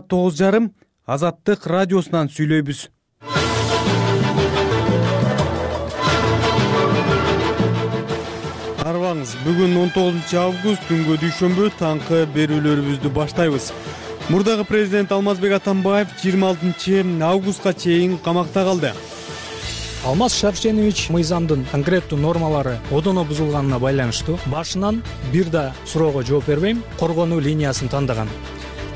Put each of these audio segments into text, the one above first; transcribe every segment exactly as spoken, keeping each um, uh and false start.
тогуз жарым Азаттык радиосунан сүйлөйбүз. Арбаңыз, бүгүн он тогузунчу август күнгө дүйшөмбү таңкы берүүлөрүбүздү баштайбыз. Мурдагы президент Алмазбек Атамбаев жыйырма алтынчы августка чейин камакта калды. Алмаз Шарипченович мыйзамдын конкреттүү нормалары одоно бузулганына байланыштуу башынан бир да суроого жооп бербейм, коргонуу линиясын тандаган.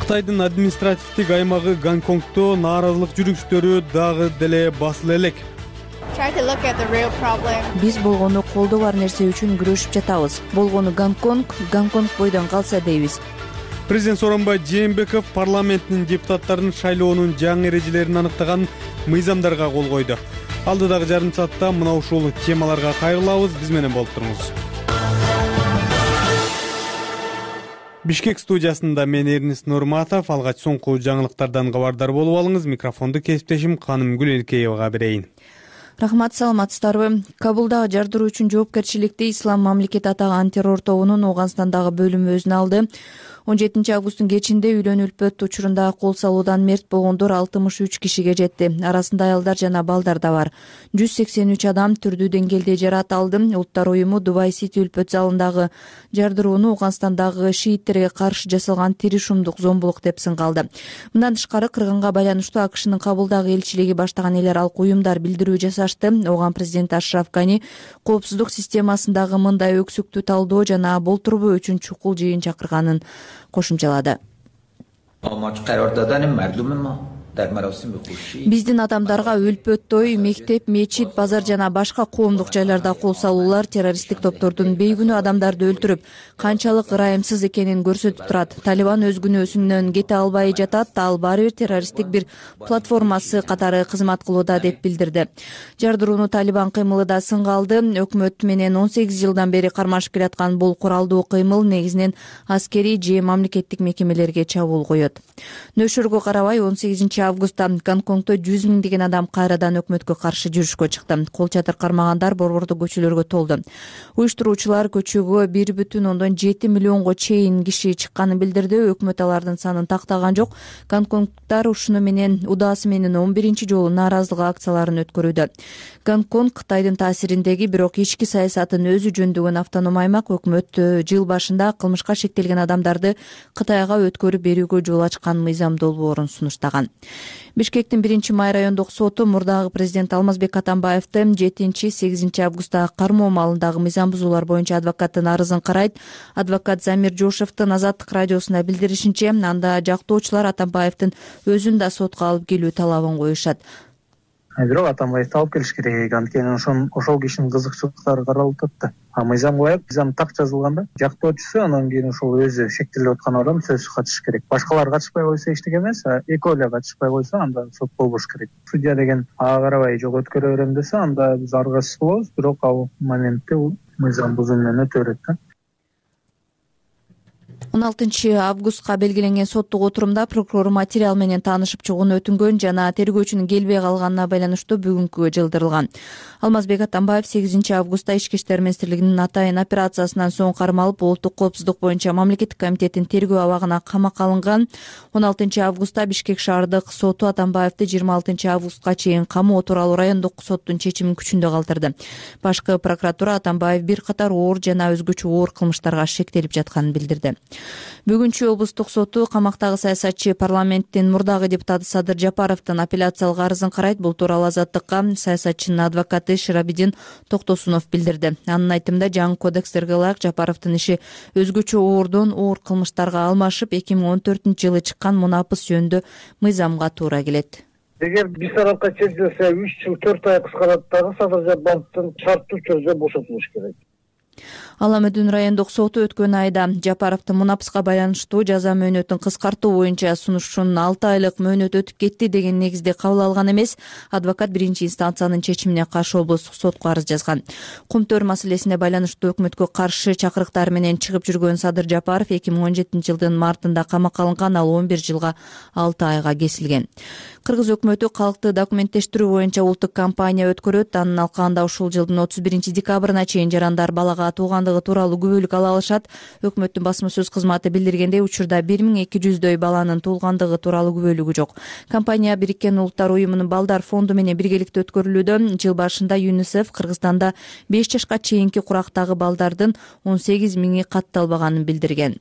Кытайдын административдик аймагы Гонконгдо нааразылык жүрүштөрү дагы деле басыла элек. Биз болгону колдо бар нерсе үчүн күрөшүп жатабыз. Болгону Гонконг, Гонконг бойдон калса дейбиз. Президент Сооронбай Жээнбеков парламенттин депутаттарын шайлоонун жаңы эрежелерин аныктаган мыйзамдарга кол койду. Алдыдагы жарым саатта мына ушул темаларга кайрылабыз. Биз менен болуп туруңуз. Бишкек студиясында мен Эрнис Нурматов. Алгач соңку жаңылыктардан кабардар болуп алыңыз. Микрофонду кесиптешим Канымгүл Элкеевага берейин. Рахмат, саламатсыздарбы? Кабулдагы жардыруу үчүн жоопкерчиликти Ислам мамлекети атаган террор тобунун Ооганстандагы бөлүмү өзүнө алды. он жетинчи августтун кечинде үйлөнүү үлпөт учурунда кол салуудан мерт болгондор алтымыш үч кишиге жетти. Арасында аялдар жана балдар да бар. жүз сексен үч адам түрдүү деңгээлде жараат алды. Улуттар уюму Дубай Сити үлпөт залындагы жардырууну Ооганстандагы шииттерге каршы жасалган тиришумдук зомбулук деп сынга алды. Мындан тышкары кыргынга байланыштуу АКШнын Кабулдагы элчилиги баштаган эл аралык уюмдар билдирүү жасашты. Оған президент Ашраф Гани коопсуздук системасындагы мындай өксүктүү талдоо жана болтурбоо үчүн чукул жыйын чакырганын кошумчалады. Биздин адамдарга үлпөт той, мектеп, мечит, базар жана башка коомдук жайларда кол салуулар террористтик топтордун бейгүнөө адамдарды өлтүрүп, канчалык ырайымсыз экенин көрсөтүп турат. Талибан өз күнөөсүнөн кете албай жатат, ал баары бир террористтик бир платформасы катары кызмат кылууда деп билдирди. Жардырууну Талибан кыймылы да сынга алды. Өкмөт менен он сегиз жылдан бери кармашып келаткан бул куралдуу кыймыл негизинен аскерий же мамлекеттик мекемелерге чабуул коет. Нөшөргө карабай он сегизинчи августта Гонконгдо жүз миңдеген адам кайрадан өкмөткө каршы жүрүшкө чыкты. Кол чатыр кармагандар борбордук көчөлөргө толду. Уюштуруучулар көчөгө бир бүтүн ондон жети миллионго чейин киши чыкканын билдирди. Өкмөт алардын санын тактаган жок. Гонконгдар ушуну менен удаасы менен он биринчи жолу нааразылык акцияларын өткөрүүдө. Гонконг Кытайдын таасириндеги, бирок ички саясатын өзү жөндөгөн автоном аймак. Өкмөт жыл башында кылмышка шектелген адамдарды Кытайга өткөрүп берүүгө жол ачкан мыйзам долбоорун сунуштаган. Бишкектин биринчи май райондук соту мурдагы президент Алмазбек Атамбаевди жетинчи сегизинчи августта кармоо маалындагы мыйзам бузуулар боюнча адвокаттын арызын карайт. Адвокат Замир Жошевдин Азаттык радиосуна билдиришинче, анда жактоочулар Атамбаевдин өзүн да сотко алып келүү талабын коюшат. Бирок Атамбаевди алып келиш керек, анткени ошон ошол кишинин кызыкчылыктары каралып атат. А мыйзам коет, мыйзам так жазылганда жактоочусу анан кийин ошол өзү шектелип аткан адам сөзсүз катышыш керек. Башкалар катышпай койсо эчтеке эмес, а экөө эле катышпай койсо анда сот болбош керек. Судья деген ага карабай жол өткөрө берем десе, анда биз аргасыз болобуз, бирок ал моментте бул мыйзам бузуу менен өтө берет да. он алтынчы августка белгиленген соттук отурумда прокурор материал менен таанышып чыгууну өтүнгөн жана тергөөчүнүн келбей калганына байланыштуу бүгүнкүгө жылдырылган. Алмазбек Атамбаев сегизинчи августта Ички иштер министрлигинин атайын операциясынан соң кармалып, улуттук коопсуздук боюнча мамлекеттик комитеттин тергөө абагына камакка алынган. он алтынчы августта Бишкек шаардык соту Атамбаевди жыйырма алтынчы августка чейин камоо тууралуу райондук соттун чечимин күчүндө калтырды. Башкы прокуратура Атамбаев бир катар оор жана өзгөчө оор кылмыштарга шектелип жатканын билдирди. Бүгүнчү облустук соту камактагы саясатчы парламенттин мурдагы депутаты Садыр Жапаровдун апелляциялык арызын карайт. Бул тууралуу Азаттыкка саясатчынын адвокаты Ширабидин Токтосунов билдирди. Анын айтымында, жаңы кодекстерге ылайык Жапаровдун иши өзгөчө оордон оор кылмыштарга алмашып, эки миң он төртүнчү жылы чыккан мунапыс жөнүндө мыйзамга туура келет. Эгер бир тарапка чечилсе үч жыл төрт ай кыскарат дагы Садыр Жапаровдун шарттуу түрдө бошотулуш керек. Ала Медүн райондук соту өткөн айда Жапаровдун мунапыска байланыштуу жаза мөөнөтүн кыскартуу боюнча сунушунун алты айлык мөөнөт өтүп кетти деген негизде кабыл алган эмес. Адвокат биринчи инстанциянын чечимине каршы облустук сотко арыз жазган. Кумтөр маселесине байланыштуу өкмөткө каршы чакырыктар менен чыгып жүргөн Садыр Жапаров эки миң он жетинчи жылдын мартында камакка алынган. Ал он бир жылга алты айга кесилген. Кыргыз өкмөтү калкты документтештирүү боюнча улуттук кампания өткөрөт. Анын алкагында ушул жылдын отуз биринчи декабрына чейин жарандар балага балага туугандыгы тууралуу күбөлүк ала алышат. Өкмөттүн басма сөз кызматы билдиргендей, учурда бир миң эки жүздөй баланын туулгандыгы тууралуу күбөлүгү жок. Кампания Бириккен Улуттар уюмунун балдар фонду менен биргеликте өткөрүлүүдө. Жыл башында ЮНИСЕФ Кыргызстанда беш жашка чейинки курактагы балдардын он сегиз миңи катталбаганын билдирген.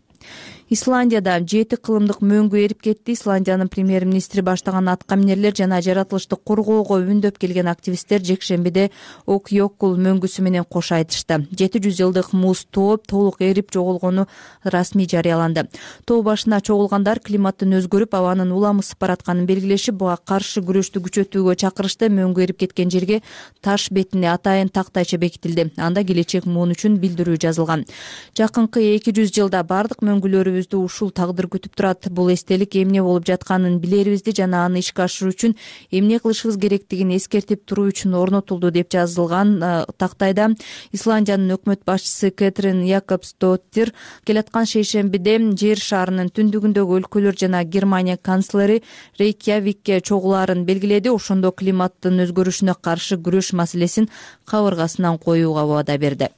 Исландияда жети кылымдык мөңгү эрип кетти. Исландиянын премьер-министри баштаган аткаминерлер жана жаратылышты коргоого үндөп келген активисттер жекшембиде Окьёкул мөңгүсү менен кош айтышты. жети жүз жылдык муз тоо толук эрип жоголгону расмий жарыяланды. Тоо башына чогулгандар климаттын өзгөрүп, абанын уламысып баратканын белгилешип, буга каршы күрөштү күчөтүүгө чакырышты. Мөңгү эрип кеткен жерге таш бетине атайын тактайча бекитилди. Анда келечек муун үчүн билдирүү жазылган. Жакынкы эки жүз жылда бардык мөңгүлөрүбүз ушул тагдыр күтүп турат. Бул эстелик эмне болуп жатканын билерибизди жана аны ишке ашыруу үчүн эмне кылышыбыз керектигин эскертип туруу үчүн орнотулду, деп жазылган тактайда. Исландиянын өкмөт башчысы Кэтрин Якобсдоттир келаткан шейшембиде жер шарынын түндүгүндөгү өлкөлөр жана Германия канцлери Рейкьявикке чогулаарын белгиледи. Ошондо климаттын өзгөрүшүнө каршы күрөш маселесин кабыргасынан коюуга убада берди.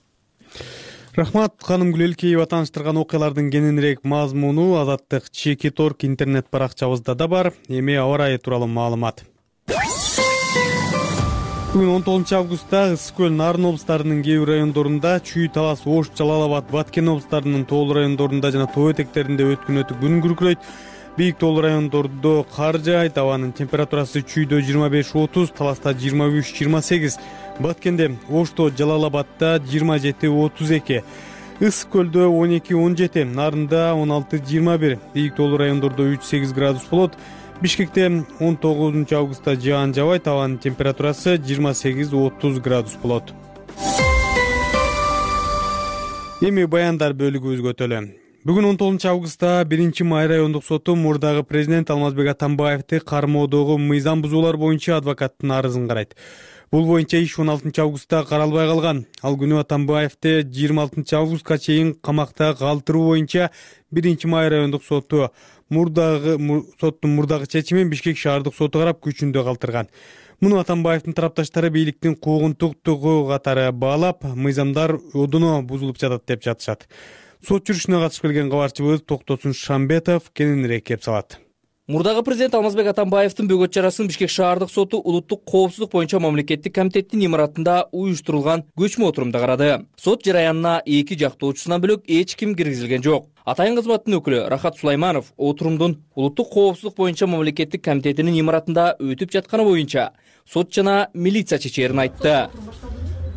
Рахмат, ханым Гүлелкеева тааныштырган окуялардын кененирээк мазмуну Азаттык Чекит орг интернет баракчабызда да бар. Эми аба ырайы тууралуу маалымат. Бүгүн он тогузунчу августта Ысык көл, Нарын облустарынын кээ бир райондорунда, Чүй, Талас, Ош, Жалал Абад, Баткен облустарынын тоолуу райондорунда жана тоо этектеринде өткөн өтүк күн күркүрөйт. Бийик тоолуу райондордо кар жаайт. Абанын температурасы Чүйдө жыйырма беш отуз, Таласта жыйырма үч жыйырма сегиз, Баткенде, Ошто, Жалал Абадта жыйырма жети отуз эки, Ысык көлдө он эки он жети, Нарында он алты жыйырма бир, Бийик тоолуу райондордо үч сегиз градус болот. Бишкекте он тогузунчу августта жаан жабайт. Абанын температурасы жыйырма сегиз отуз градус болот. Эми баяндар бөлүгүбүзгө өтөлү. Бүгүн он тогузунчу августта биринчи май райондук соту мурдагы президент Алмазбек Атамбаевди кармоодогу мыйзам бузуулар боюнча адвокаттын арызын карайт. Бул боюнча иш он алтынчы августта каралбай калган. Ал күнү Атамбаевди жыйырма алтынчы августка чейин камакта калтыруу боюнча биринчи май райондук соту мурдагы соттун мурдагы чечимин Бишкек шаардык соту карап күчүндө калтырган. Муну Атамбаевдин тарапташтары бийликтин куугунтуктугу катары баалап, мыйзамдар одуно бузулуп жатат деп жатышат. Сот жүрүшүнө катышып келген кабарчыбыз Токтосун Шамбетов кененирээк кеп салат. Мурдагы президент Алмазбек Атамбаевдин бөгөт чарасын Бишкек шаардык соту улуттук коопсуздук боюнча мамлекеттик комитеттин имаратында уюштурулган көчмө отурумда карады. Сот жараянына эки жактоочусунан бөлөк эч ким киргизилген жок. Атайын кызматтын өкүлү Рахат Сулайманов отурумдун улуттук коопсуздук боюнча мамлекеттик комитетинин имаратында өтүп жатканы боюнча сот жана милиция чечерин айтты.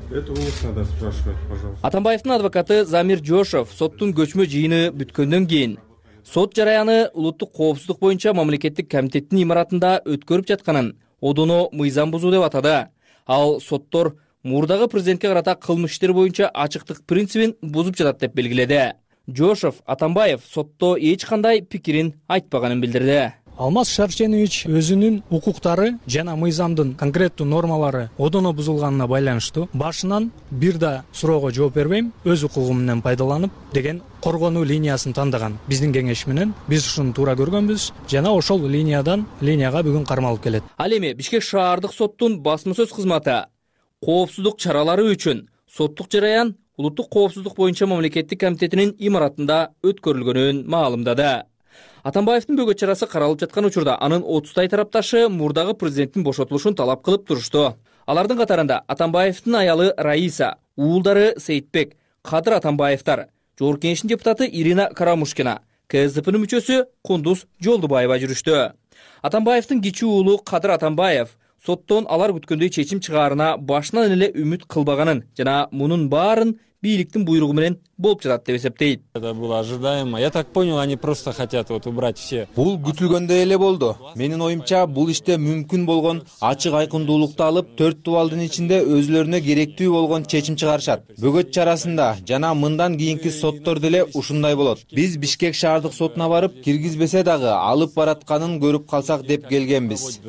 Это вас надо спрашивать, пожалуйста. Атамбаевдин адвокаты Замир Жошов соттун көчмө жыйыны бүткөндөн кийин сот жараяны улуттук коопсуздук боюнча мамлекеттик комитеттин имаратында өткөрүп жатканын одоно мыйзам бузуу деп атады. Ал соттор мурдагы президентке карата кылмыш иштер боюнча ачыктык принцибин бузуп жатат деп белгиледи. Жошов Атамбаев сотто эч кандай пикирин айтпаганын билдирди. Алмаз Шарченович өзүнүн укуктары жана мыйзамдын конкреттүү нормалары одоно бузулганына байланыштуу башынан бир да суроого жооп бербейм, өз укугум менен пайдаланып деген коргонуу линиясын тандаган. Биздин кеңеш менен биз ушуну туура көргөнбүз жана ошол линиядан линияга бүгүн кармалып келет. Ал эми Бишкек шаардык соттун басма сөз кызматы коопсуздук чаралары үчүн соттук жараян улуттук коопсуздук боюнча мамлекеттик комитетинин имаратында өткөрүлгөнүн маалымдады. Атамбаевдин бөгөт чарасы каралып жаткан учурда анын отуздай тарапташы мурдагы президенттин бошотулушун талап кылып турушту. Алардын катарында Атамбаевдин аялы Раиса, уулдары Сейитбек, Кадыр Атамбаевдар, Жогорку Кеңештин депутаты Ирина Карамушкина, КСДПнын мүчөсү Кундуз Жолдубаева жүрүштү. Атамбаевдин кичүү уулу Кадыр Атамбаев соттон алар күткөндөй чечим чыгаарына башынан эле үмүт кылбаганын жана мунун баарын бийликтин буйругу менен болуп жатат деп эсептейт. Это было ожидаемо. Я так понял, они просто хотят вот убрать все. Бул күтүлгөндөй эле болду. Менин оюмча бул иште мүмкүн болгон ачык айкындуулукту алып, төрт дубалдын ичинде өзүлөрүнө керектүү болгон чечим чыгарышат. Бөгөт чарасында жана мындан кийинки соттор деле ушундай болот. Биз Бишкек шаардык сотуна барып, киргизбесе дагы алып баратканын көрүп калсак деп келгенбиз.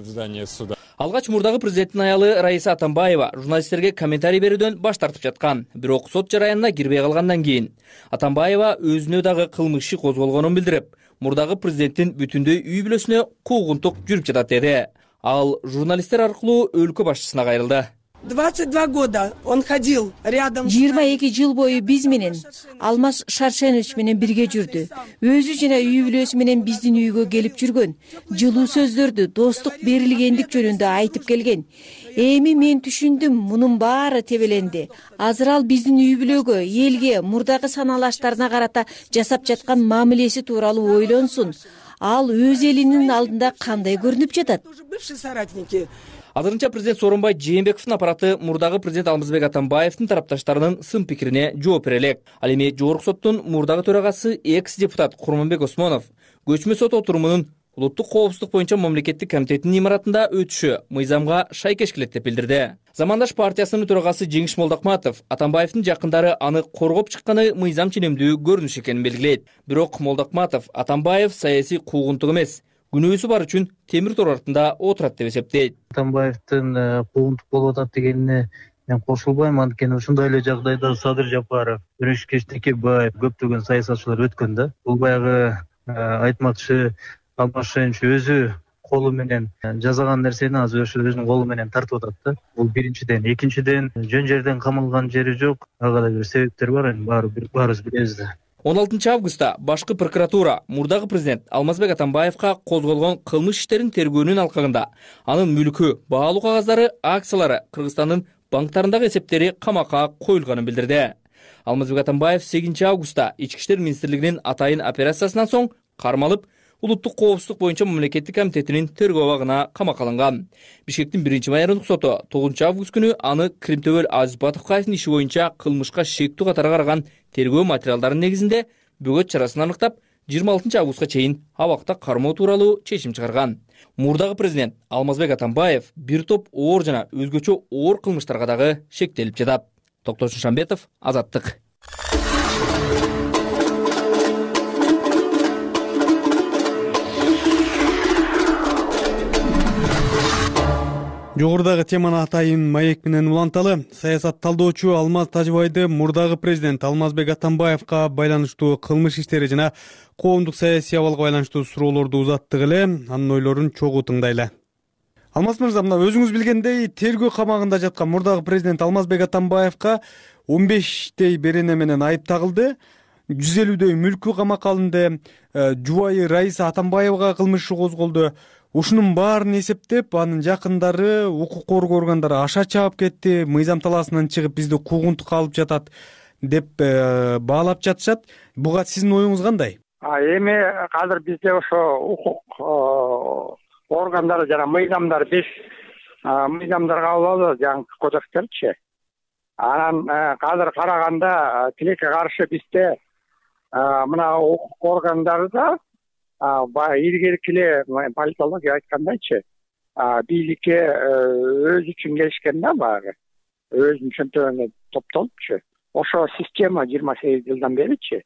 Алгач мурдагы президенттин аялы Раиса Атамбаева журналисттерге комментарий берүүдөн баш тартып жаткан. Бирок сот жараянына кирбей калгандан кийин Атамбаева өзүнө дагы кылмыш иши козголгонун билдирип, мурдагы президенттин бүтүндөй үй бүлөсүнө куугунтук жүрүп жатат деди. Ал журналисттер аркылуу өлкө башчысына кайрылды. двадцать два года он ходил рядом. жыйырма эки жыл бою биз менен Алмаз Шаршенович менен бирге жүрдү. Өзү жана үй бүлөсү менен биздин үйгө келип жүргөн. Жылуу сөздөрдү, достук берилгендик жөнүндө айтып келген. Эми мен түшүндүм, мунун баары тебеленди. Азыр ал биздин үй бүлөгө, элге, мурдагы саналаштарына карата жасап жаткан мамилеси тууралуу ойлонсун. Ал өз элинин алдында кандай көрүнүп жатат? Азырынча президент Сооронбай Жээнбековдун аппараты мурдагы президент Алмазбек Атамбаевдин тарапташтарынын сын пикирине жооп бере элек. Ал эми жогорку соттун мурдагы төрагасы экс-депутат Курманбек Осмонов көчмө сот отурумунун улуттук коопсуздук боюнча мамлекеттик комитетинин имаратында өтүшү мыйзамга шайкеш келет деп билдирди. Замандаш партиясынын төрагасы Жеңиш Молдокматов Атамбаевдин жакындары аны коргоп чыкканы мыйзам ченемдүү көрүнүш экенин белгилейт. Бирок Молдокматов Атамбаев саясий куугунтук эмес, күнөөсү бар үчүн темир тор артында отурат деп эсептейт. Атамбаевдин куугунтук болуп атат дегенине мен кошулбайм, анткени ушундай эле жагдайда Садыр Жапаров, Өрөшкеш Текебаев көптөгөн саясатчылар өткөн да. Бул баягы айтмакчы Алмаз Шаршенович өзү колу менен жасаган нерсени азыр ошо өзүнүн колу менен тартып атат да. Бул биринчиден. Экинчиден, жөн жерден камалган жери жок. Ага да бир себептер бар, эми баарыбыз билебиз да. он алтынчы августта башкы прокуратура мурдагы президент Алмазбек Атамбаевка козголгон кылмыш иштерин тергөөнүн алкагында анын мүлкү, баалуу кагаздары, акциялары Кыргызстандын банктарындагы эсептери камакка коюлганын билдирди. Алмазбек Атамбаев сегизинчи августта Ички иштер министрлигинин атайын операциясынан соң кармалып, улуттук коопсуздук боюнча мамлекеттик комитетинин тергөө абагына камакка алынган. Бишкектин биринчи майордук соту тогузунчу август күнү аны Кримтөбөл Азиз Батовкаевдин иши боюнча кылмышка шектүү катары караган тергөө материалдарынын негизинде бөгөт чарасын аныктап, жыйырма алтынчы августка чейин абакта кармоо тууралуу чечим чыгарган. Мурдагы президент Алмазбек Атамбаев бир топ оор жана өзгөчө оор кылмыштарга дагы шектелип жатат. Токтош Шамбетов, Азаттык. Жогорудагы теманы атайын маек менен уланталы. Саясат талдоочу Алмаз Тажыбайды мурдагы президент Алмазбек Атамбаевка байланыштуу кылмыш иштери жана коомдук саясий абалга байланыштуу суроолорду узаттык эле. Анын ойлорун чогуу тыңдайлы. Алмаз мырза, мына өзүңүз билгендей, тергөө камагында жаткан мурдагы президент Алмазбек Атамбаевка он бештей берене менен айып тагылды. жүз элүүдөй мүлкү камакка алынды. Жубайы Раиса Атамбаевага кылмыш иши козголду. Ушунун баарын эсептеп, анын жакындары, укук коргоо органдары аша чаап кетти, мыйзам талаасынан чыгып бизди куугунтукка алып жатат деп баалап жатышат. Буга сиздин оюңуз кандай? Эми азыр бизде ошо укук органдары жана мыйзамдар беш мыйзамдар кабыл алды, жаңы кодекстерчи. Анан азыр караганда тилекке каршы бизде мына укук органдарда илгерки эле политология айткандайчы, бийликке өз үчүн келишкен да, баягы өзүнүн чөнтөгүнө топтолупчу. Ошо система жыйырма сегиз жылдан беричи.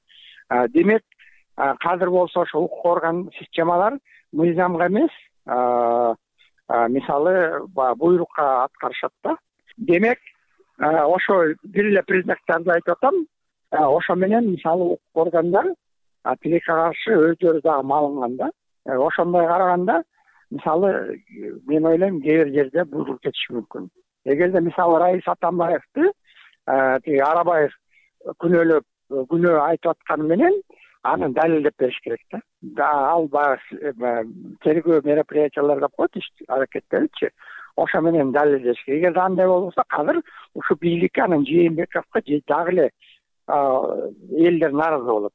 Демек, кадыр болсо ошо укук орган системалар мыйзамга эмес, мисалы буйрукка аткарышат да. Демек, ошо бир эле признактарды айтып атам. Ошо менен мисалы укук органдар тилекке каршы өздөрү дагы малынган да. Ошондой караганда, мисалы, мен ойлойм, кээ бир жерде буйрук кетиши мүмкүн. Эгерде мисалы Раис Атамбаевди тиги Арабаев күнөөлөп, күнөө айтып атканы менен аны далилдеп бериш керек да. Ал баягы тергөө мероприятияларда коет, иш аракеттеричи. Ошо менен далилдеш керек. Эгерде андай болбосо, азыр ушу бийликке, анан Жээнбековго дагы эле элдер нааразы болот.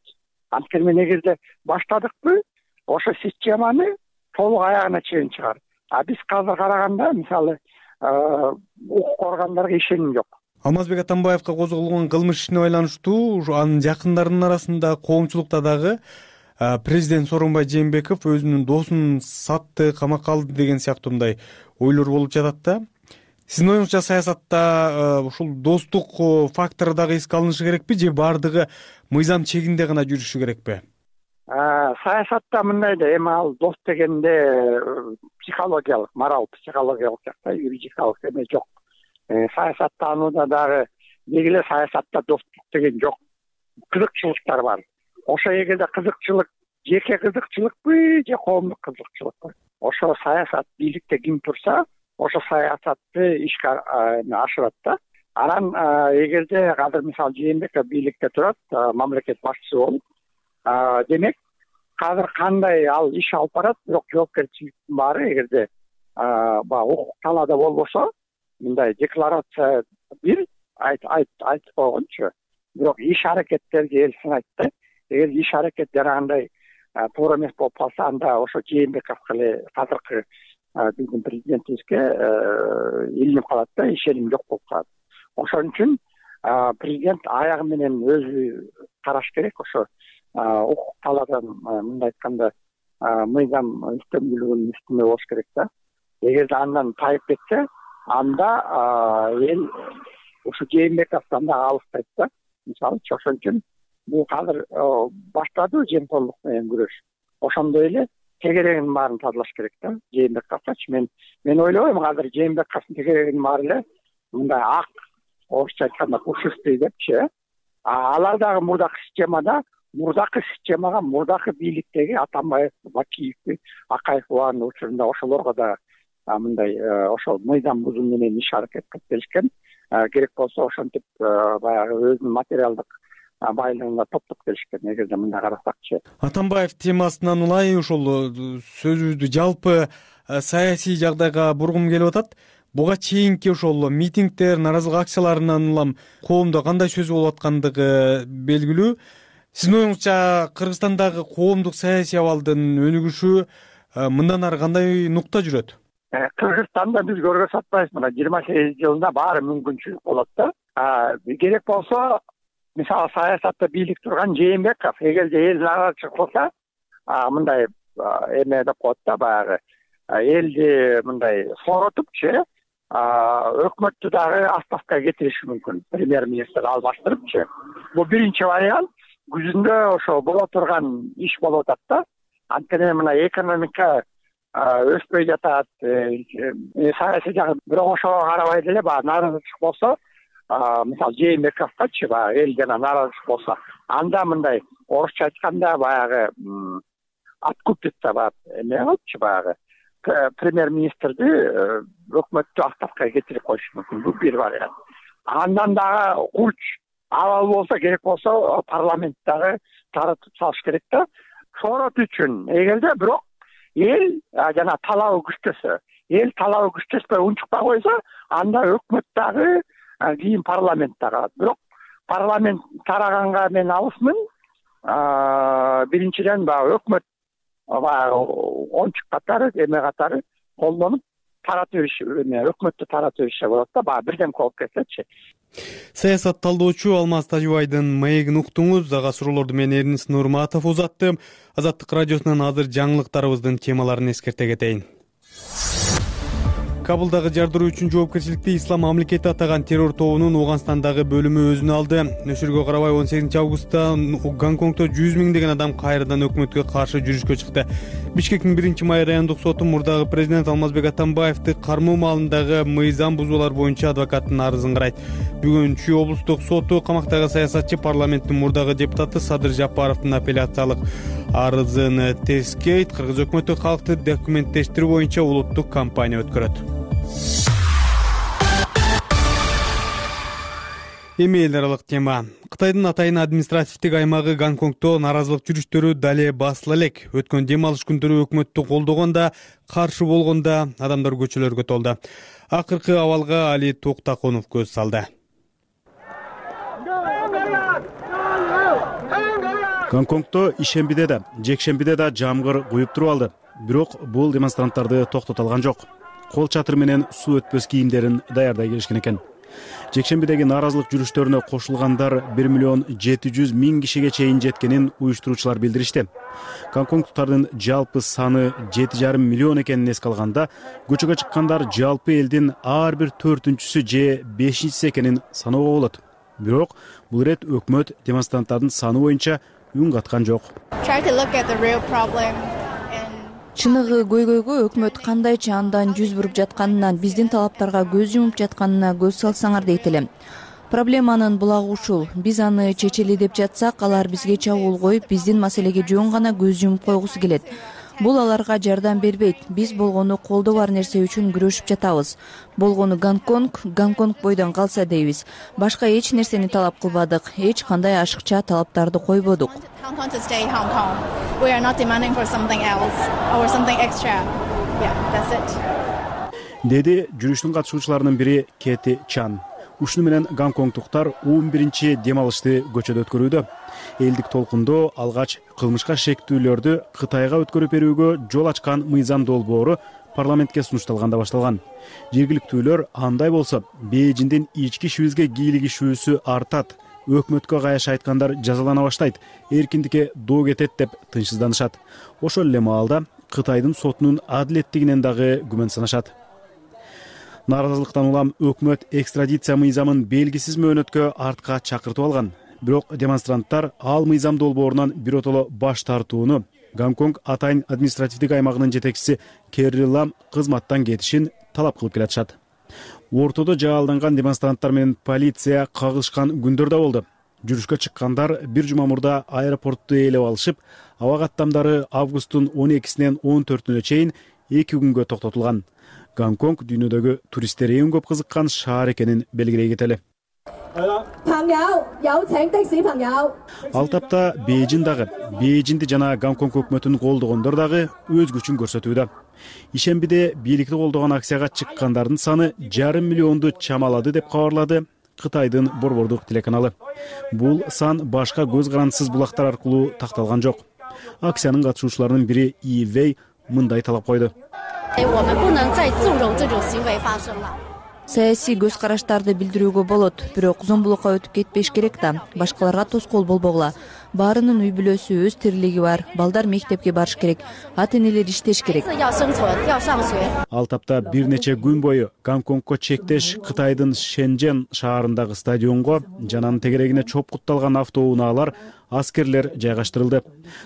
Анткени мен эгерде баштадыкпы, ошо системаны толук аягына чейин чыгар. А биз азыр караганда, мисалы, укук органдарга ишеним жок. Алмазбек Атамбаевка козголгон кылмыш ишине байланыштуу анын жакындарынын арасында, коомчулукта дагы президент Сооронбай Жээнбеков өзүнүн досун сатты, камакка алды деген сыяктуу мындай ойлор болуп жатат да. Сиздин оюңузча саясатта ушул достук фактору дагы эске алынышы керекпи же баардыгы мыйзам чегинде гана жүрүшү керекпи? Саясатта мындай да, эми ал дос дегенде психологиялык, морал психологиялык жакта, юридикалык эме жок. Саясаттанууда дагы деги эле саясатта достук деген жок. Кызыкчылыктар бар. Ошо эгерде кызыкчылык жеке кызыкчылыкпы же коомдук кызыкчылыкпы? Ошо саясат бийликте ким турса, ошо саясатты ишке ашырат да. Анан эгерде азыр мисалы Жээнбеков бийликте турат, мамлекет башчысы болуп, демек азыр кандай ал иш алып барат, бирок жоопкерчиликтин баары эгерде баягы укук талаада болбосо, мындай декларация бир айтып койгончу, бирок иш аракеттерди эл сынайт да. Эгер иш аракет жарагандай туура эмес болуп калса, анда ошо Жээнбековго эле азыркы биздин президентибизге илинип калат да, ишеним жок болуп калат. Ошон үчүн президент аягы менен өзү караш керек. Ошо укук талаадан мындай айтканда мыйзам үстөмдүүлүгүнүн үстүндө болуш керек да. Эгерде андан тайып кетсе, анда эл ушу Жээнбековдон да алыстайт да. Мисалы ошон үчүн бул азыр баштады жемкорлук менен күрөш. Ошондой эле тегерегинин баарын тазалаш керек да. Жээнбековчу мен мен ойлойм, азыр Жээнбековдун тегерегинин баары эле мындай ак, орусча айтканда пушистый депчи. Алар дагы мурдакы системада, мурдакы системага, мурдакы бийликтеги Атамбаев, Бакиев, Акаев баардын учурунда ошолорго да мындай ошол мыйзам бузуу менен иш аракет кылып келишкен. Керек болсо ошентип баягы өзүнүн материалдык байлыгын топтоп келишкен. Эгерде мындай карасакчы. Атамбаев темасынан улай ошол сөзүбүздү жалпы саясий жагдайга бургум келип атат. Буга чейинки ошол митингдер, наразылык акцияларынан улам коомдо кандай сөз болуп аткандыгы белгилүү. Сиздин оюңузча Кыргызстандагы коомдук саясий абалдын өнүгүшү мындан ары кандай нукта жүрөт? Кыргызстанда биз көргөзүп атпайбыз, мына жыйырма сегиз жылда баары мүмкүнчүлүк болот да. Керек болсо, мисалы саясатта бийлик турган Жээнбеков эгерде эл наразычылык кылса, мындай эме деп коет да, баягы элди мындай сооротупчу, өкмөттү дагы отставкага кетириши мүмкүн. Премьер-министр албаштырыпчы. Бул биринчи вариант. Күзүндө ошо боло турган иш болуп атат да. Анткени мына экономика өспөй жатат, саясий жагы. Бирок ошого карабай деле баягы наразычылык болсо, мисалы Жээнбековгачы баягы эл жана наразычылык болсо, анда мындай орусча айтканда баягы откупиться баягы эме кылыпчы, баягы премьер-министрди өкмөттү отставкага кетирип коюшу мүмкүн. Бул бир вариант. Андан дагы курч абал болсо, керек болсо парламенттагы таратып салыш керек да. Соорот үчүн эгерде бирок эл жана талабы күчтөсө, эл талабы күчтөспөй унчукпай койсо, анда өкмөт дагы кийин парламент дагы. Бирок парламент тараганга мен алысмын. Биринчиден баягы өкмөт баягы ончук катары, эме катары колдонуп таратып бериш, өкмөттү таратып беришсе болот да, баягы бирден болуп кетсечи. Саясат талдоочу Алмаз Тажыбайдын маегин уктуңуз. Ага суроолорду мен Эрнис Нурматов узаттым. Азаттык радиосунан азыр жаңылыктарыбыздын темаларын эскерте кетейин. Кабылдагы жардыруу үчүн жоопкерчиликти Ислам мамлекети атаган террор тобунун Ооганстандагы бөлүмү өзүнө алды. Нөшөргө карабай он сегизинчи августта Гонконгдо жүз миңдеген адам кайрадан өкмөткө каршы жүрүшкө чыкты. Бишкектин биринчи май райондук соту мурдагы президент Алмазбек Атамбаевди кармоо маалындагы мыйзам бузуулар боюнча адвокаттын арызын карайт. Бүгүн Чүй облустук соту камактагы саясатчы парламенттин мурдагы депутаты Садыр Жапаровдун апелляциялык арызын тескейт. Кыргыз өкмөтү калкты документтештирүү боюнча улуттук кампания өткөрөт. Эми эл аралык тема. Кытайдын атайын административдик аймагы Гонконгдо наразылык жүрүштөрү дале басыла элек. Өткөн дем алыш күндөрү өкмөттү колдогондо, каршы болгондо адамдар көчөлөргө толду. Акыркы абалга Али Токтакунов көз салды. Гонконгдо ишембиде да, жекшембиде да жамгыр куюп туруп алды. Бирок бул демонстранттарды токтото алган жок. Кол чатыр менен суу өтпөс кийимдерин даярдай келишкен экен. Жекшембидеги наразылык жүрүштөрүнө кошулгандар бир миллион жети жүз миң кишиге чейин жеткенин уюштуруучулар билдиришти. Гонконгдуктардын жалпы саны жети жарым миллион экенин эске алганда, көчөгө чыккандар жалпы элдин ар бир төртүнчүсү же бешинчиси экенин саноого болот. Бирок бул ирет өкмөт демонстранттардын саны боюнча үн каткан жок. Чыныгы көйгөйгө өкмөт кандайча андан жүз буруп жатканынан, биздин талаптарга көз жумуп жатканына көз салсаңар дейт элем. Проблеманын булагы ушул. Биз аны чечели деп жатсак, алар бизге чабуул коюп, биздин маселеге жөн гана көз жумуп койгусу келет. Бул аларга жардам бербейт. Биз болгону колдо бар нерсе үчүн күрөшүп жатабыз. Болгону Гонконг, Гонконг бойдон калса дейбиз. Башка эч нерсени талап кылбадык, эч кандай ашыкча талаптарды койбодук. Деди жүрүштүн катышуучуларынын бири Кэти Чан. Ушуну менен гонконгдуктар он биринчи дем алышты көчөдө өткөрүүдө. Элдик толкундоо алгач кылмышка шектүүлөрдү Кытайга өткөрүп берүүгө жол ачкан мыйзам долбоору парламентке сунушталганда башталган. Жергиликтүүлөр андай болсо Бейжиңдин ички ишибизге кийлигишүүсү артат, өкмөткө каяш айткандар жазалана баштайт, эркиндикке доо кетет деп тынчсызданышат. Ошол эле маалда Кытайдын сотунун адилеттигинен дагы күмөн санашат. Нааразылыктан улам өкмөт экстрадиция мыйзамын белгисиз мөөнөткө артка чакыртып алган. Бирок демонстранттар ал мыйзам долбоорунан биротоло баш тартууну Гонконг атайын административдик аймагынын жетекчиси Керри Лам кызматтан кетишин талап кылып келатышат. Ортодо жаалданган демонстранттар менен полиция кагылышкан күндөр да болду. Жүрүшкө чыккандар бир жума мурда аэропортту ээлеп алышып, аба каттамдары августтун он экисинен он төртүнө чейин эки күнгө токтотулган. Гонконг дүйнөдөгү туристтер эң көп кызыккан шаар экенин белгилей кетели. Ал тапта Бейжиң дагы, Бейжиңди жана Гонконг өкмөтүн колдогондор дагы өз күчүн көрсөтүүдө. Ишембиде бийликти колдогон акцияга чыккандардын саны жарым миллионду чамалады деп кабарлады Кытайдын борбордук телеканалы. Бул сан башка көз карандысыз булактар аркылуу такталган жок. Акциянын катышуучуларынын бири И Вэй мындай талап койду. Саясий көз караштарды билдирүүгө болот, бирок зомбулукка өтүп кетпеш керек да. Башкаларга тоскоол болбогула. Баарынын үй бүлөсү, өз тирилиги бар. Балдар мектепке барыш керек, ата-энелер иштеш керек. Ал тапта бир нече күн бою Гонконгко чектеш Кытайдын Шэньчжэн шаарындагы стадионго жананын тегерегине чопкутталган автоунaalар аскерлер жайгаштырылды.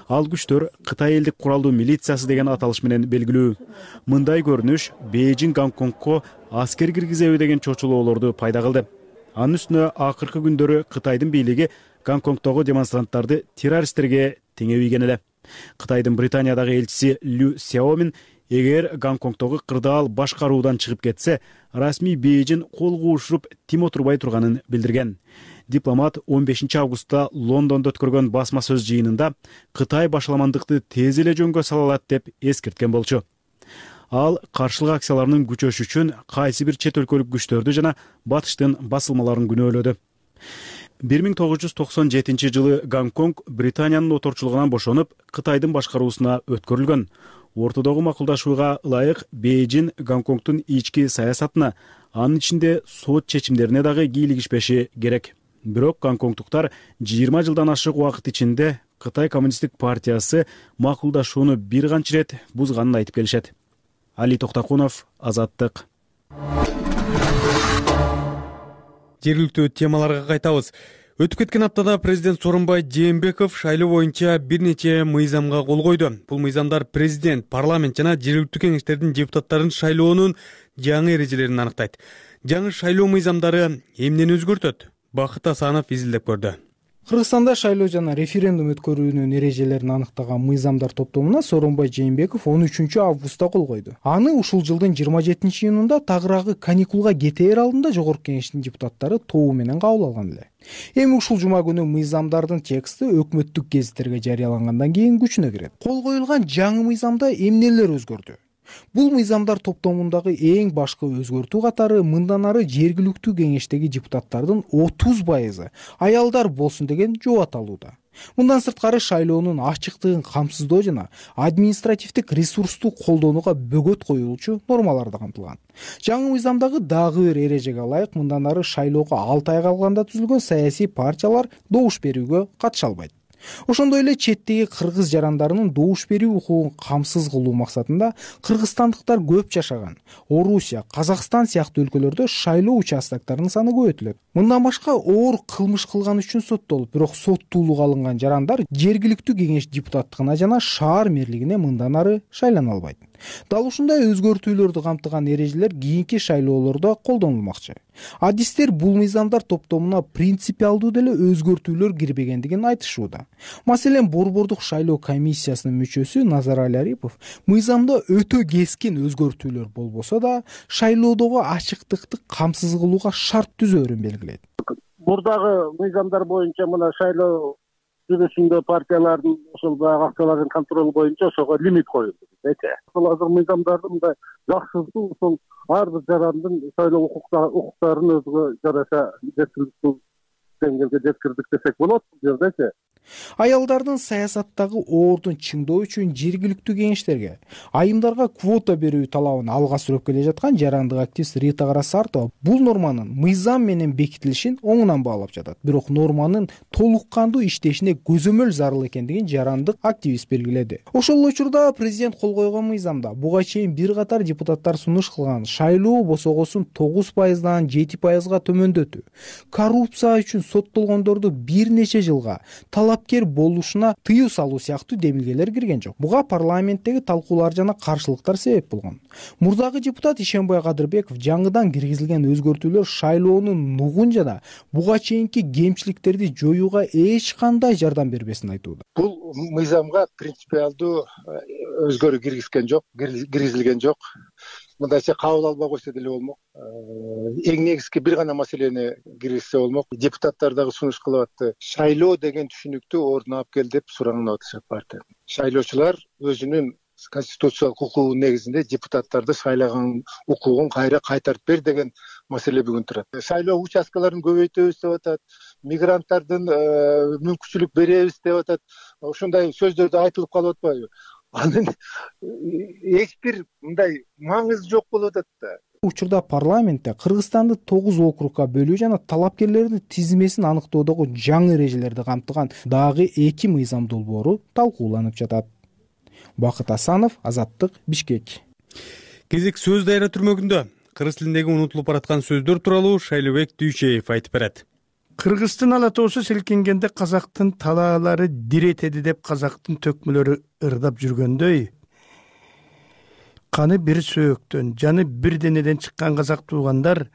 Ал күчтөр Кытай элдик куралдуу милициясы деген аталыш менен белгилүү. Мындай көрүнүш Бейжиң Гонконгко аскер киргизеби деген чочулоолорду пайда кылды. Анын үстүнө акыркы күндөрү Кытайдын бийлиги Гонконгдогу демонстранттарды террористтерге теңебийген эле. Кытайдын Британиядагы элчиси Лю Сяомин эгер Гонконгдогу кырдаал башкаруудан чыгып кетсе, расмий Бейжиң кол куушуруп тим отурбай турганын билдирген. Дипломат он бешинчи августта Лондондо өткөргөн басма сөз жыйынында Кытай башаламандыкты тез эле жөнгө сала алат деп эскерткен болчу. Ал каршылык акцияларынын күчөшү үчүн кайсы бир чет өлкөлүк күчтөрдү жана батыштын басылмаларын күнөөлөдү. бир миң тогуз жүз токсон жетинчи жылы Гонконг Британиянын оторчулугунан бошонуп, Кытайдын башкаруусуна өткөрүлгөн. Ортодогу макулдашууга ылайык Бейжиң Гонконгдун ички саясатына, анын ичинде сот чечимдерине дагы кийлигишпеши керек. Бирок гонконгдуктар жыйырма жылдан ашык убакыт ичинде Кытай коммунисттик партиясы макулдашууну бир канча ирет бузганын айтып келишет. Али Токтакунов, Азаттык. Жергиликтүү темаларга кайтабыз. Өтүп кеткен аптада президент Сооронбай Жээнбеков шайлоо боюнча бир нече мыйзамга кол койду. Бул мыйзамдар президент, парламент жана жергиликтүү кеңештердин депутаттарын шайлоонун жаңы эрежелерин аныктайт. Жаңы шайлоо мыйзамдары эмнени өзгөртөт? Бакыт Асанов изилдеп көрдү. Кыргызстанда шайлоо жана референдум өткөрүүнүн эрежелерин аныктаган мыйзамдар топтомуна Сооронбай Жээнбеков он үчүнчү августта кол койду. Аны ушул жылдын жыйырма жетинчи июнунда тагыраагы каникулга кетээр алдында жогорку кеңештин депутаттары тобу менен кабыл алган эле. Эми ушул жума күнү мыйзамдардын тексти өкмөттүк гезиттерге жарыялангандан кийин күчүнө кирет. Кол коюлган жаңы мыйзамда эмнелер өзгөрдү? Бул мыйзамдар топтомундагы эң башкы өзгөртүү катары мындан ары жергиликтүү кеңештеги депутаттардын отуз пайызы аялдар болсун деген жообат алууда. Мындан сырткары шайлоонун ачыктыгын камсыздоо жана административдик ресурсту колдонууга бөгөт коюлуучу нормалар да камтылган. Жаңы мыйзамдагы дагы бир эрежеге ылайык мындан ары шайлоого алты ай калганда түзүлгөн саясий партиялар добуш берүүгө катыша албайт. Ошондой эле четтеги кыргыз жарандарынын добуш берүү укугун камсыз кылуу максатында кыргызстандыктар көп жашаган Орусия, Казакстан сыяктуу өлкөлөрдө шайлоо участоктарынын саны көбөйтүлөт. Мындан башка оор кылмыш кылган үчүн соттолуп, бирок соттуулукка алынган жарандар жергиликтүү кеңеш депутаттыгына жана шаар мэрлигине мындан ары шайлана албайт. Дал ушундай өзгөртүүлөрдү камтыган эрежелер кийинки шайлоолордо колдонулмакчы. адистер бул мыйзамдар топтомуна принципиалдуу деле өзгөртүүлөр кирбегендигин айтышууда. Маселен, Борбордук шайлоо комиссиясынын мүчөсү Назарали Арипов мыйзамда өтө кескин өзгөртүүлөр болбосо да шайлоодогу ачыктыкты камсыз кылууга шарт түзөөрүн белгилейт. Мурдагы мыйзамдар боюнча мына шайлоо жүрүшүндө партиялардын ошол баягы акчалардын контролу боюнча ошого лимит коюлду. Ошол азыр мыйзамдарды мындай жакшыртуу ошол ар бир жарандын шайлоо укуктарын өзүгө жараша жеткиликтүү деңгээлге жеткирдик десек болот бул жердечи. Аялдардын саясаттагы ордун чыңдоо үчүн жергиликтүү кеңештерге, айымдарга квота берүү талабын алга сүрөп келе жаткан жарандык активист Рита Карасартова бул норманын мыйзам менен бекитилишин оңунан баалап жатат. Бирок норманын толук кандуу иштешине көзөмөл зарыл экендигин жарандык активист белгиледи. Ошол учурда президент кол койгон мыйзамда буга чейин бир катар депутаттар сунуш кылган шайлоо босогосун тогуз пайыздан жети пайызга төмөндөтүү, коррупция үчүн соттолгондорду бир нече жылга талапкер болушуна тыюу салуу сыяктуу демилгелер кирген жок. Буга парламенттеги талкуулар жана каршылыктар себеп болгон. Мурдагы депутат Ишенбай Кадырбеков жаңыдан киргизилген өзгөртүүлөр шайлоонун нугун жана буга чейинки кемчиликтерди жоюуга эч кандай жардам бербесин айтууда. Бул мыйзамга принципиалдуу өзгөрүү киргизген жок, киргизилген жок. Мындайча кабыл албай койсо деле болмок. Эң негизги бир гана маселени киргизсе болмок. Депутаттар дагы сунуш кылып атты. Шайлоо деген түшүнүктү ордуна алып кел деп суранган атышат партия. Шайлоочулар өзүнүн конституциялык укугунун негизинде депутаттарды шайлаган укугун кайра кайтарып бер деген маселе бүгүн турат. Шайлоо участкаларын көбөйтөбүз деп атат, мигранттардын мүмкүнчүлүк беребиз деп атат. Ошондой сөздөрдү айтылып калып атпайбы? Анын эч бир мындай маңызы жок болуп атат да. Учурда парламентте Кыргызстанды тогуз округга бөлүү жана талапкерлердин тизмесин аныктоодогу жаңы эрежелерди камтыган дагы эки мыйзам долбоору талкууланып жатат. Бакыт Асанов, Азаттык, Бишкек. Кезек сөз дайра түрмөгүндө кыргыз тилиндеги унутулуп бараткан сөздөр тууралуу Шайлообек Дүйчеев айтып берет. Кыргыздын ала тоосу селкингенде казактын талаалары диретеди деп казактын төкмөлөрү ырдап жүргөндөй, каны бир сөөктөн, жаны бир денеден чыккан казак туугандар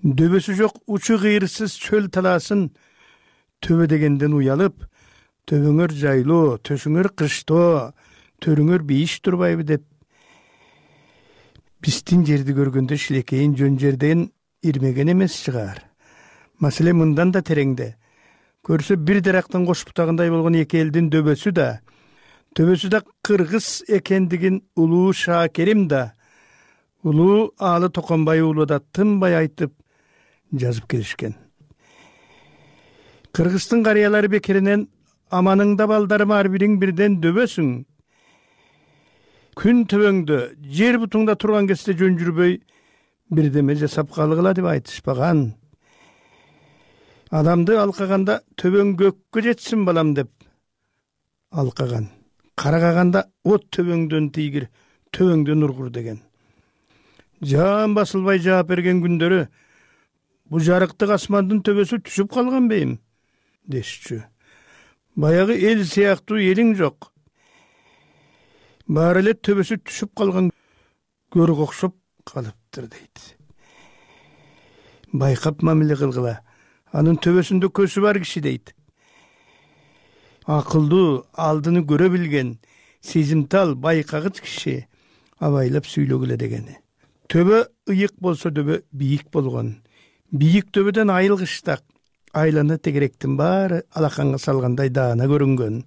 дөбөсү жок учу кыйырсыз чөл талаасын төбө дегенден уялып, төбөңөр жайлоо, төшүңөр кыштоо, төрүңөр бейиш турбайбы деп биздин жерди көргөндө шилекейин жөн жерден ирмеген эмес чыгар. Маселе мындан да тереңде. Көрсө бир дарактын кош бутагындай болгон эки элдин дөбөсү да, төбөсү да кыргыз экендигин улуу Шакерим да, улуу Аалы Токонбай уулу да тынбай айтып жазып келишкен. Кыргыздын карыялары бекеринен аманыңда балдарым ар бириң бирден дөбөсүң. Күн төбөңдө, жер бутуңда турган кезде жөн жүрбөй бирдеме жасап калгыла деп айтышпаган. Адамды алкаганда төбөң көккө жетсин балам деп алкаган. Карагаганда от төбөңдөн тийгир, төбөңдөн ургур деген. Жан басылбай жаап берген күндөрү бу жарыктык асмандын төбөсү түшүп калган бейим дешчү. Баягы эл сыяктуу элиң жок. Баары эле төбөсү түшүп калган көргө окшоп калыптыр дейт. Байкап мамиле кылгыла. Анын төбөсүндө көзү бар киши дейт. Акылдуу, алдыны көрө билген, сезимтал, байкагыч киши абайлап сүйлөгүлө дегени. Төбө ыйык болсо төбө бийик болгон. Бийик төбөдөн айылгыштак, айланы тегеректин баары алаканга салгандай даана көрүнгөн.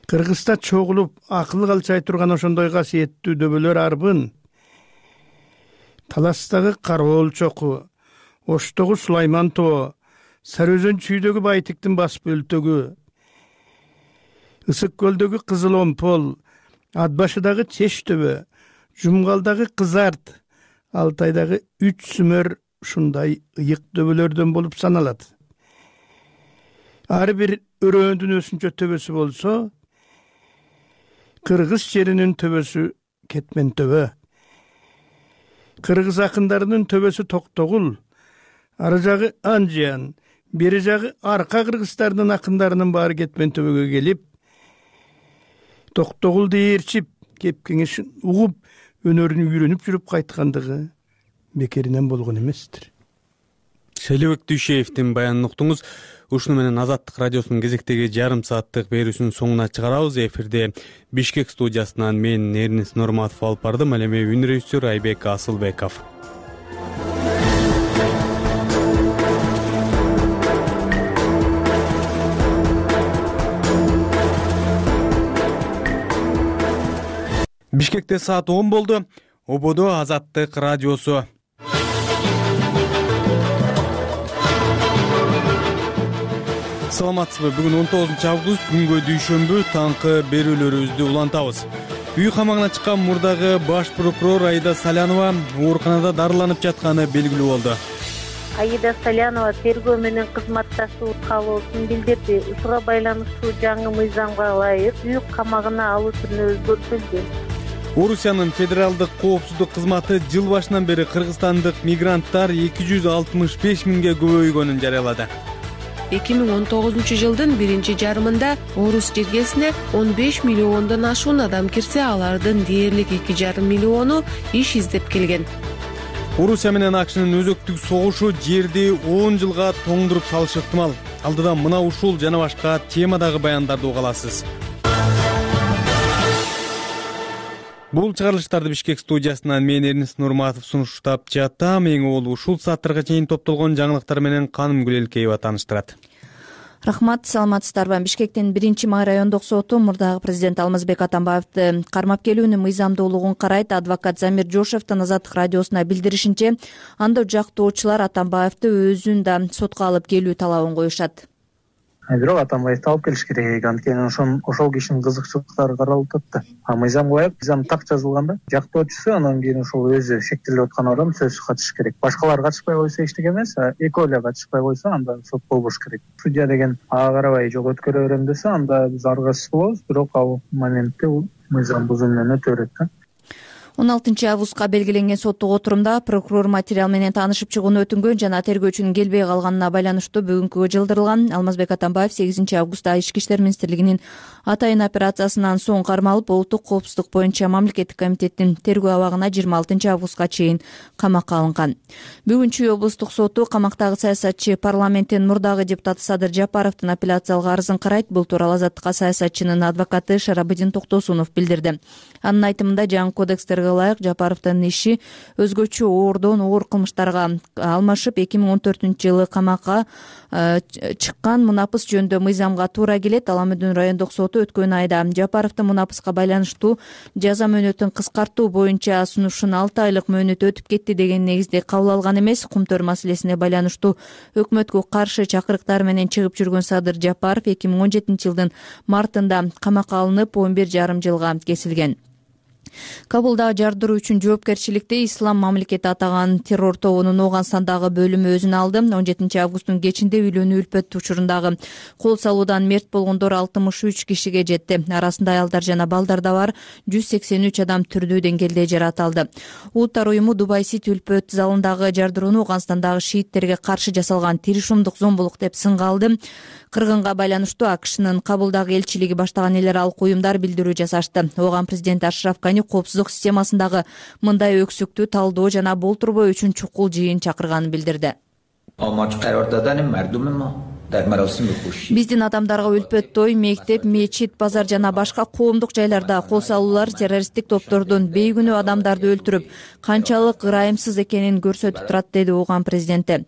Кыргызда чогулуп, акыл калчай турган ошондой касиеттүү дөбөлөр арбын. Таластагы Кароол чоку, Оштогу Сулайман тоо, Сары өзөн чүйдөгү Байтиктин басып өлтөгү, Ысык көлдөгү Кызыл Омпол, Атбашыдагы Чеш төбө, Жумгалдагы Кызарт, Алтайдагы Үч Сүмөр ушундай ыйык дөбөлөрдөн болуп саналат. Ар бир өрөөндүн өсүнчө төбөсү болсо, Кыргыз жеринин төбөсү Кетмен төбө. Кыргыз акындарынын төбөсү Токтогул, ары жагы Анжиян, бери жагы арка кыргыздардын акындарынын баары Кетмен төбөгө келип, Токтогулду ээрчип, кепкеңешин угуп, өнөрүн үйрөнүп жүрүп кайткандыгы бекеринен болгон эместир. Шайлообек Дүйшеевдин баянын уктуңуз. Ушуну менен Азаттык радиосунун кезектеги жарым сааттык берүүсүнүн соңуна чыгарабыз. Эфирде Бишкек студиясынан мен Эрнис Нурматов алып бардым. Ал эми үн режиссер Айбек Асылбеков. Бишкекте саат он болду. Ободо Азаттык радиосу. Саламатсызбы? Бүгүн он тогузунчу август, күнгө дүйшөмбү, таңкы берүүлөрүбүздү улантабыз. Үй камагына чыккан мурдагы баш прокурор Аида Салянова ооруканада дарыланып жатканы белгилүү болду. Аида Салянова тергөө менен кызматташуу каалоосун билдирди. Ушуга байланыштуу жаңы мыйзамга ылайык үй камагына алуу түрүнө өзгөртүлдү. Орусиянын федералдык коопсуздук кызматы жыл башынан бери кыргызстандык мигранттар эки жүз алтымыш беш миңге көбөйгөнүн жарыялады. эки миң он тогузунчу жылдын биринчи жарымында орус жергесине он беш миллиондон ашуун адам кирсе, алардын дээрлик эки жарым миллиону иш издеп келген. Орусия менен АКШнын өзөктүк согушу жерди он жылга тоңдуруп салышы ыктымал. Алдыдан мына ушул жана башка темадагы баяндарды уга аласыз. Бул чыгарылыштарды Бишкек студиясынан мен Эрнис Нурматов сунуштап жатам. Эң ол ушул сааттарга чейин топтолгон жаңылыктар менен Каным Гүлелкеева тааныштырат. Рахмат, саламатсыздарбы? Бишкектин биринчи май райондук соту мурдагы президент Алмазбек Атамбаевди кармап келүүнүн мыйзамдуулугун карайт. Адвокат Замир Жошевдин Азаттык радиосуна билдиришинче, анда жактоочулар Атамбаевди өзүн да сотко алып келүү талабын коюшат. Бирок Атамбаевди алып келиш керек, анткени ошон ошол кишинин кызыкчылыктары каралып атат. А мыйзамга ылайык, мыйзам так жазылганда жактоочусу анан кийин ошол өзү шектелип аткан адам сөзсүз катышыш керек. Башкалар катышпай койсо эчтеке эмес, экөө эле катышпай койсо анда сот болбош керек. Судья деген ага карабай жок өткөрө берем десе, анда биз аргасыз болобуз, бирок ал моментте мыйзам бузуу менен өтө берет да. он алтынчы августка белгиленген соттук отурумда прокурор материал менен таанышып чыгууну өтүнгөн жана тергөөчүнүн келбей калганына байланыштуу бүгүнкүгө жылдырылган. Алмазбек Атамбаев сегизинчи августта Ички иштер министрлигинин атайын операциясынан соң кармалып, улуттук коопсуздук боюнча мамлекеттик комитеттин тергөө абагына жыйырма алтынчы августка чейин камакка алынган. Бүгүн Чүй облустук соту камактагы саясатчы парламенттин мурдагы депутаты Садыр Жапаровдун апелляциялык арызын карайт. Бул тууралуу Азаттыкка саясатчынын адвокаты Шарабыдин Токтосунов билдирди. Анын айтымында жаңы кодекстерге ылайык Жапаровдун иши өзгөчө оордон оор кылмыштарга алмашып, эки миң он төртүнчү жылы камакка чыккан мунапыс жөнүндө мыйзамга туура келет. Аламүдүн райондук соту өткөн айда Жапаровдун мунапыска байланыштуу жаза мөөнөтүн кыскартуу боюнча сунушун алты айлык мөөнөт өтүп кетти деген негизде кабыл алган эмес. Кумтөр маселесине байланыштуу өкмөткө каршы чакырыктар менен чыгып жүргөн Садыр Жапаров эки миң он жетинчи жылдын мартында камакка алынып, он бир жарым жылга кесилген. Кабулдагы жардыруу үчүн жоопкерчиликти Ислам мамлекети атаган террор тобунун Ооганстандагы бөлүмү өзүнө алды. он жетинчи августтун кечинде үйлөнүү үлпөт учурундагы кол салуудан мерт болгондор алтымыш үч кишиге жетти. Арасында аялдар жана балдар да бар. жүз сексен үч адам түрдүү деңгээлде жаратылды. Улуттар уюму Дубай Сити үлпөт залындагы жардырууну Ооганстандагы шииттерге каршы жасалган тиришумдук зомбулук деп сынга алды. Кыргынга байланыштуу АКШнын Кабулдагы элчилиги баштаган эл аралык уюмдар билдирүү жасашты. Ооган президент Ашраф Гани коопсуздук системасындагы мындай өксүктүү талдоо жана болтурбоо үчүн чукул жыйын чакырганын билдирди. Биздин адамдарга үлпөт той, мектеп, мечит, базар жана башка коомдук жайларда кол салуулар террористтик топтордун бейгүнөө адамдарды өлтүрүп, канчалык ырайымсыз экенин көрсөтүп турат, деди Ооган президенти.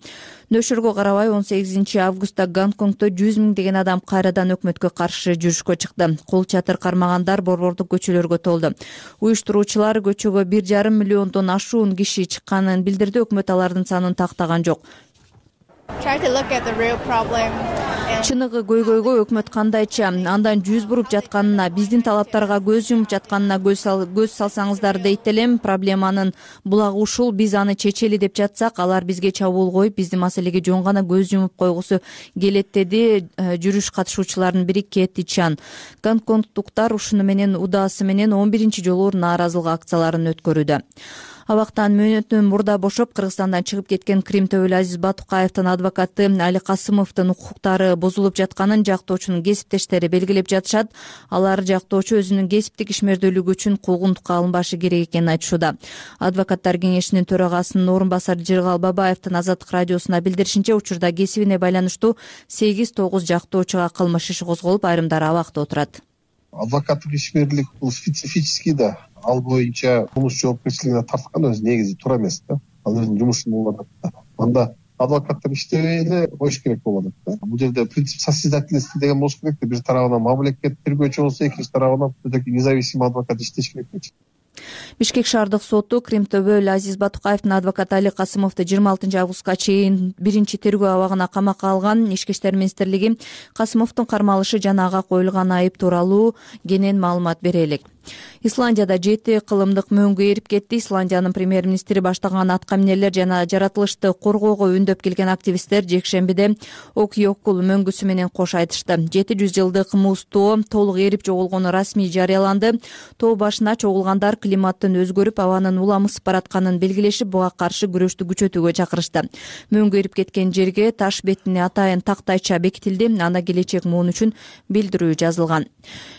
Нөшөргө карабай он сегизинчи августта Гонконгдо жүз миңдеген адам кайрадан өкмөткө каршы жүрүшкө чыкты. Кол чатыр кармагандар борбордук көчөлөргө толду. Уюштуруучулар көчөгө бир жарым миллиондон ашуун киши чыкканын билдирди. Өкмөт алардын санын тактаган жок. Чыныгы көйгөйгө өкмөт кандайча андан жүз буруп жатканына, биздин талаптарга көз жумуп жатканына көз салсаңыздар дейт элем. Проблеманын булагы ушул, биз аны чечели деп жатсак, алар бизге чабуул коюп, биздин маселеге жөн гана көз жумуп койгусу келет, деди жүрүш катышуучуларынын бири Кэти Чан. Гонконгдуктар ушуну менен удаасы менен он биринчи жолу нааразылык акцияларын өткөрүүдө. Абактан мөөнөтүнөн мурда бошоп Кыргызстандан чыгып кеткен Крим төбөлү Азиз Батукаевдин адвокаты Али Касымовдун укуктары бузулуп жатканын жактоочунун кесиптештери белгилеп жатышат. Алар жактоочу өзүнүн кесиптик ишмердүүлүгү үчүн куугунтукка алынбашы керек экенин айтышууда. Адвокаттар кеңешинин төрагасынын орун басары Жыргал Бабаевдин Азаттык радиосуна билдиришинче, учурда кесибине байланыштуу сегиз тогуз жактоочуга кылмыш иши козголуп, айрымдары абакта отурат. Адвокаттык ишмерлик бул специфический да, ал боюнча кылмыш жоопкерчилигине тарткан өзү негизи туура эмес да. Ал өзүнүн жумушун кылып атат да. Анда адвокаттар иштебей эле коюш керек болуп атат да. Бул жерде принцип состязательности деген болуш керек да. Бир тарабынан мамлекет тергөөчү болсо, экинчи тарабынан независимый адвокат иштеш керек болчу. Бишкек шаардык соту Крим төбөлү Азиз Батукаевдин адвокаты Али Касымовду жыйырма алтынчы августка чейин биринчи тергөө абагына камакка алган. Ички иштер министрлиги Касымовдун кармалышы жана ага коюлган айып тууралуу кенен маалымат бере элек. Исландияда жети кылымдык мөңгү эрип кетти. Исландиянын премьер-министри баштаган атка минерлер жана жаратылышты коргоого үндөп келген активисттер жекшембиде Окьокул мөңгүсү менен кош айтышты. жети жүз жылдык муз тоо толук эрип чогулгону расмий жарыяланды. Тоо башына чогулгандар климаттын өзгөрүп, абанын уламысып баратканын белгилешип, буга каршы күрөштү күчөтүүгө чакырышты. Мөңгү эрип кеткен жерге таш бетине атайын тактайча бекитилди. Анда келечек муун үчүн билдирүү жазылган.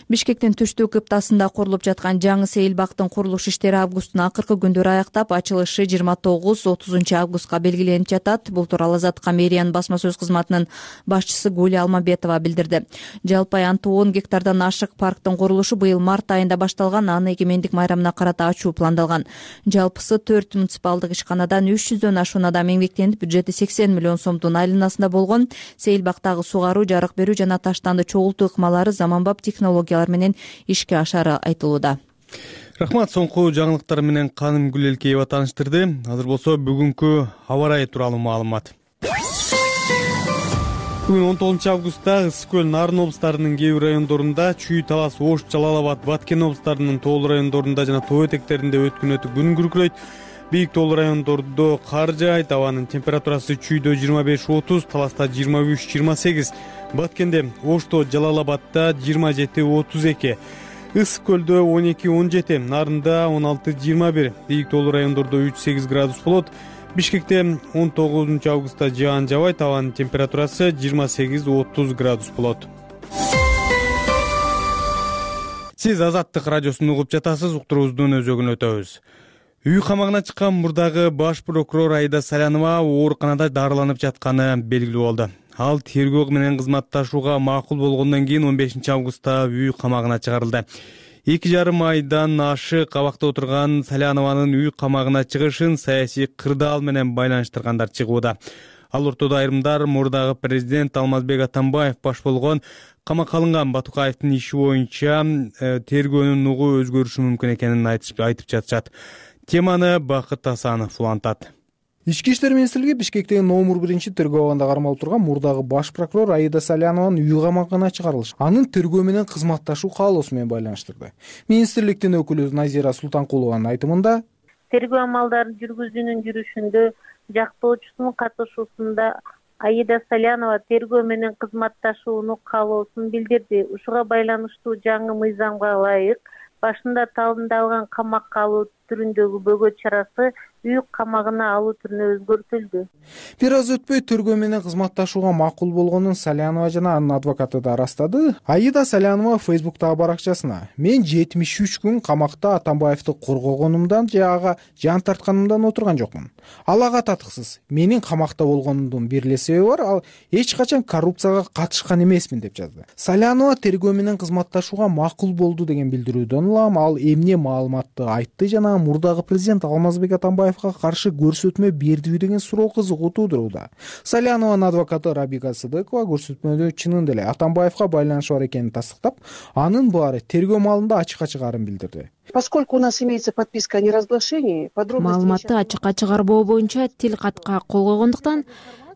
Бишкектин түштүк кыптасында курулуп жаткан жаңы сейилбактын курулуш иштери августтун акыркы күндөрү аяктап, ачылышы жыйырма тогуз отузунчу августка белгиленип жатат. Бул тууралуу Азаттыкка мэриянын басма сөз кызматынын башчысы Гуля Алмабетова билдирди. Жалпы аянты он гектардан ашык парктын курулушу быйыл март айында башталган. Аны эгемендик майрамына карата ачуу пландалган. Жалпысы төрт муниципалдык ишканадан үч жүздөн ашуун адам эмгектенип, бюджети сексен миллион сомдун айланасында болгон. Сейилбактагы сугаруу, жарык берүү жана таштанды чогултуу ыкмалары заманбап технологиялар менен ишке ашары айтылууда. Рахмат, соңку жаңылыктар менен Каным Гүлелкеева тааныштырды. Азыр болсо бүгүнкү аба ырайы тууралуу маалымат. Бүгүн он тогузунчу августта Ысык көл, Нарын облустарынын кээ бир райондорунда, Чүй, Талас, Ош, Жалал Абад, Баткен облустарынын тоолуу райондорунда жана тоо этектеринде өткүн өтүп күн күркүрөйт. Бийик тоолуу райондордо кар жаайт. Абанын температурасы Чүйдө жыйырма беш отуз, Таласта жыйырма үч жыйырма сегиз, Баткенде, Ошто, Жалал Абадта жыйырма жети отуз эки, Ысык көлдө он эки он жети, Нарында он алты жыйырма бир, Бийик тоолуу райондордо үч сегиз градус болот. Бишкекте он тогузунчу августта жаан жабайт. Абанын температурасы жыйырма сегиз отуз градус болот. Сиз Азаттык радиосун угуп жатасыз. Уктуруубуздун өзөгүн өтөбүз. Үй камагына чыккан мурдагы баш прокурор Аида Салянова ооруканада дарыланып жатканы белгилүү болду. Ал тергөө менен кызматташууга макул болгондон кийин он бешинчи августта үй камагына чыгарылды. Эки жарым айдан ашык абакта отурган Салянованын үй камагына чыгышын саясий кырдаал менен байланыштыргандар чыгууда. Ал ортодо айрымдар мурдагы президент Алмазбек Атамбаев баш болгон камакка алынган Батукаевдин иши боюнча тергөөнүн нугу өзгөрүшү мүмкүн экенин айтып жатышат. Теманы Бакыт Асанов улантат. Ички иштер министрлиги Бишкектеги номер биринчи тергөө абагында кармалып турган мурдагы баш прокурор Аида Салянованын үй камагына чыгарылышы анын тергөө менен кызматташуу каалоосу менен байланыштырды. Министрликтин өкүлү Назира Султанкулованын айтымында, тергөө амалдарын жүргүзүүнүн жүрүшүндө жактоочусунун катышуусунда Аида Салянова тергөө менен кызматташууну каалоосун билдирди. Ушуга байланыштуу жаңы мыйзамга ылайык башында талындалган камакка алуу түрүндөгү бөгөт чарасы үй камагына алуу түрүнө өзгөртүлдү. Бир аз өтпөй тергөө менен кызматташууга макул болгонун Салянова жана анын адвокаты да ырастады. Аида Салянова Фейсбуктагы баракчасына: "Мен жетимиш үч күн камакта Атамбаевди коргогонумдан же ага жан тартканымдан отурган жокмун. Ал ага татыксыз. Менин камакта болгонумдун бир эле себеби бар, ал эч качан коррупцияга катышкан эмесмин" деп жазды. Салянова тергөө менен кызматташууга макул болду деген билдирүүдөн улам ал эмне маалыматты айтты жана мурдагы президент Алмазбек Атамбаевга каршы көрсөтмө бердиби деген суроо кызыгуу туудурууда. Салянованын адвокаты Рабика Сыдыкова көрсөтмөдө чынында эле Атамбаевга байланышы бар экенин тастыктап, анын баары тергөө маалында ачыкка чыгарын билдирди. Поскольку у нас имеется подписка о неразглашении, подробности маалыматты ачыкка чыгарбоо боюнча тил катка кол койгондуктан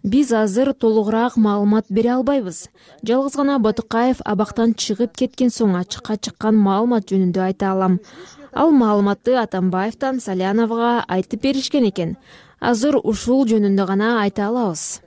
биз азыр толугураак маалымат бере албайбыз. Жалгыз гана Батукаев абактан чыгып кеткен соң ачыкка чыккан маалымат жөнүндө айта алам. Ал маалыматты Атамбаевден Саляновага айтып беришкен экен. Азыр ушул жөнүндө гана айта алабыз.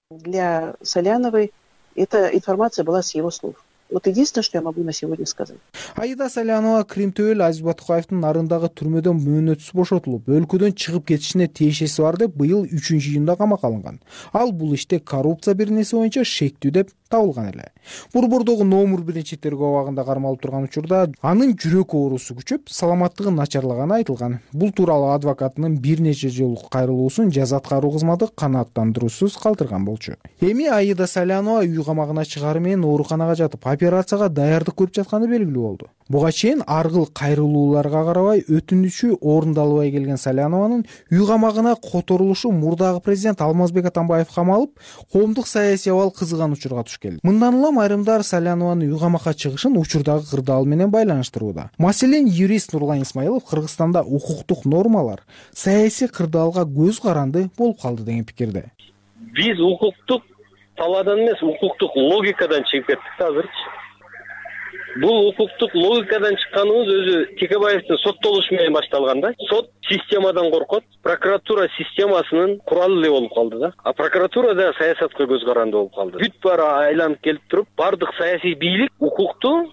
Для Саляновой эта информация была с его слов. Вот единственное, что я могу на сегодня сказать. Аида Салянова Крим төбөл Азиз Батукаевдин нарындагы түрмөдөн мөөнөтсүз бошотулуп, өлкөдөн чыгып кетишине тиешеси бар деп быйыл үчүнчү июнда камакка алынган. Ал бул иште коррупция бирнеси боюнча шектүү деп табылган эле. Борбордогу номер биринчи тергөө абагында кармалып турган учурда анын жүрөк оорусу күчөп, саламаттыгы начарлаганы айтылган. Бул тууралуу адвокатынын бир нече жолу кайрылуусун жаза аткаруу кызматы канааттандыруусуз калтырган болчу. Эми Аида Салянова үй камагына чыгары менен ооруканага жатып, операцияга даярдык көрүп жатканы белгилүү болду. Буга чейин аргыл кайрылууларга карабай өтүнүчү орундалбай келген Салянованын үй камагына которулушу мурдагы президент Алмазбек Атамбаев камалып, коомдук саясий абал кызыган учурга туш келди. Мындан улам айрымдар Салянованын үй камакка чыгышын учурдагы кырдаал менен байланыштырууда. Маселен, юрист Нурлан Исмаилов Кыргызстанда укуктук нормалар саясий кырдаалга көз каранды болуп калды деген пикирде. Биз укуктук талаадан эмес, укуктук логикадан чыгып кеттик да азырчы. Бул укуктук логикадан чыкканыбыз өзү Текебаевдин соттолушу менен башталган да. Сот системадан коркот, прокуратура системасынын куралы эле болуп калды да. А прокуратура да саясатка көз каранды болуп калды. Бүт баары айланып келип туруп, бардык саясий бийлик укукту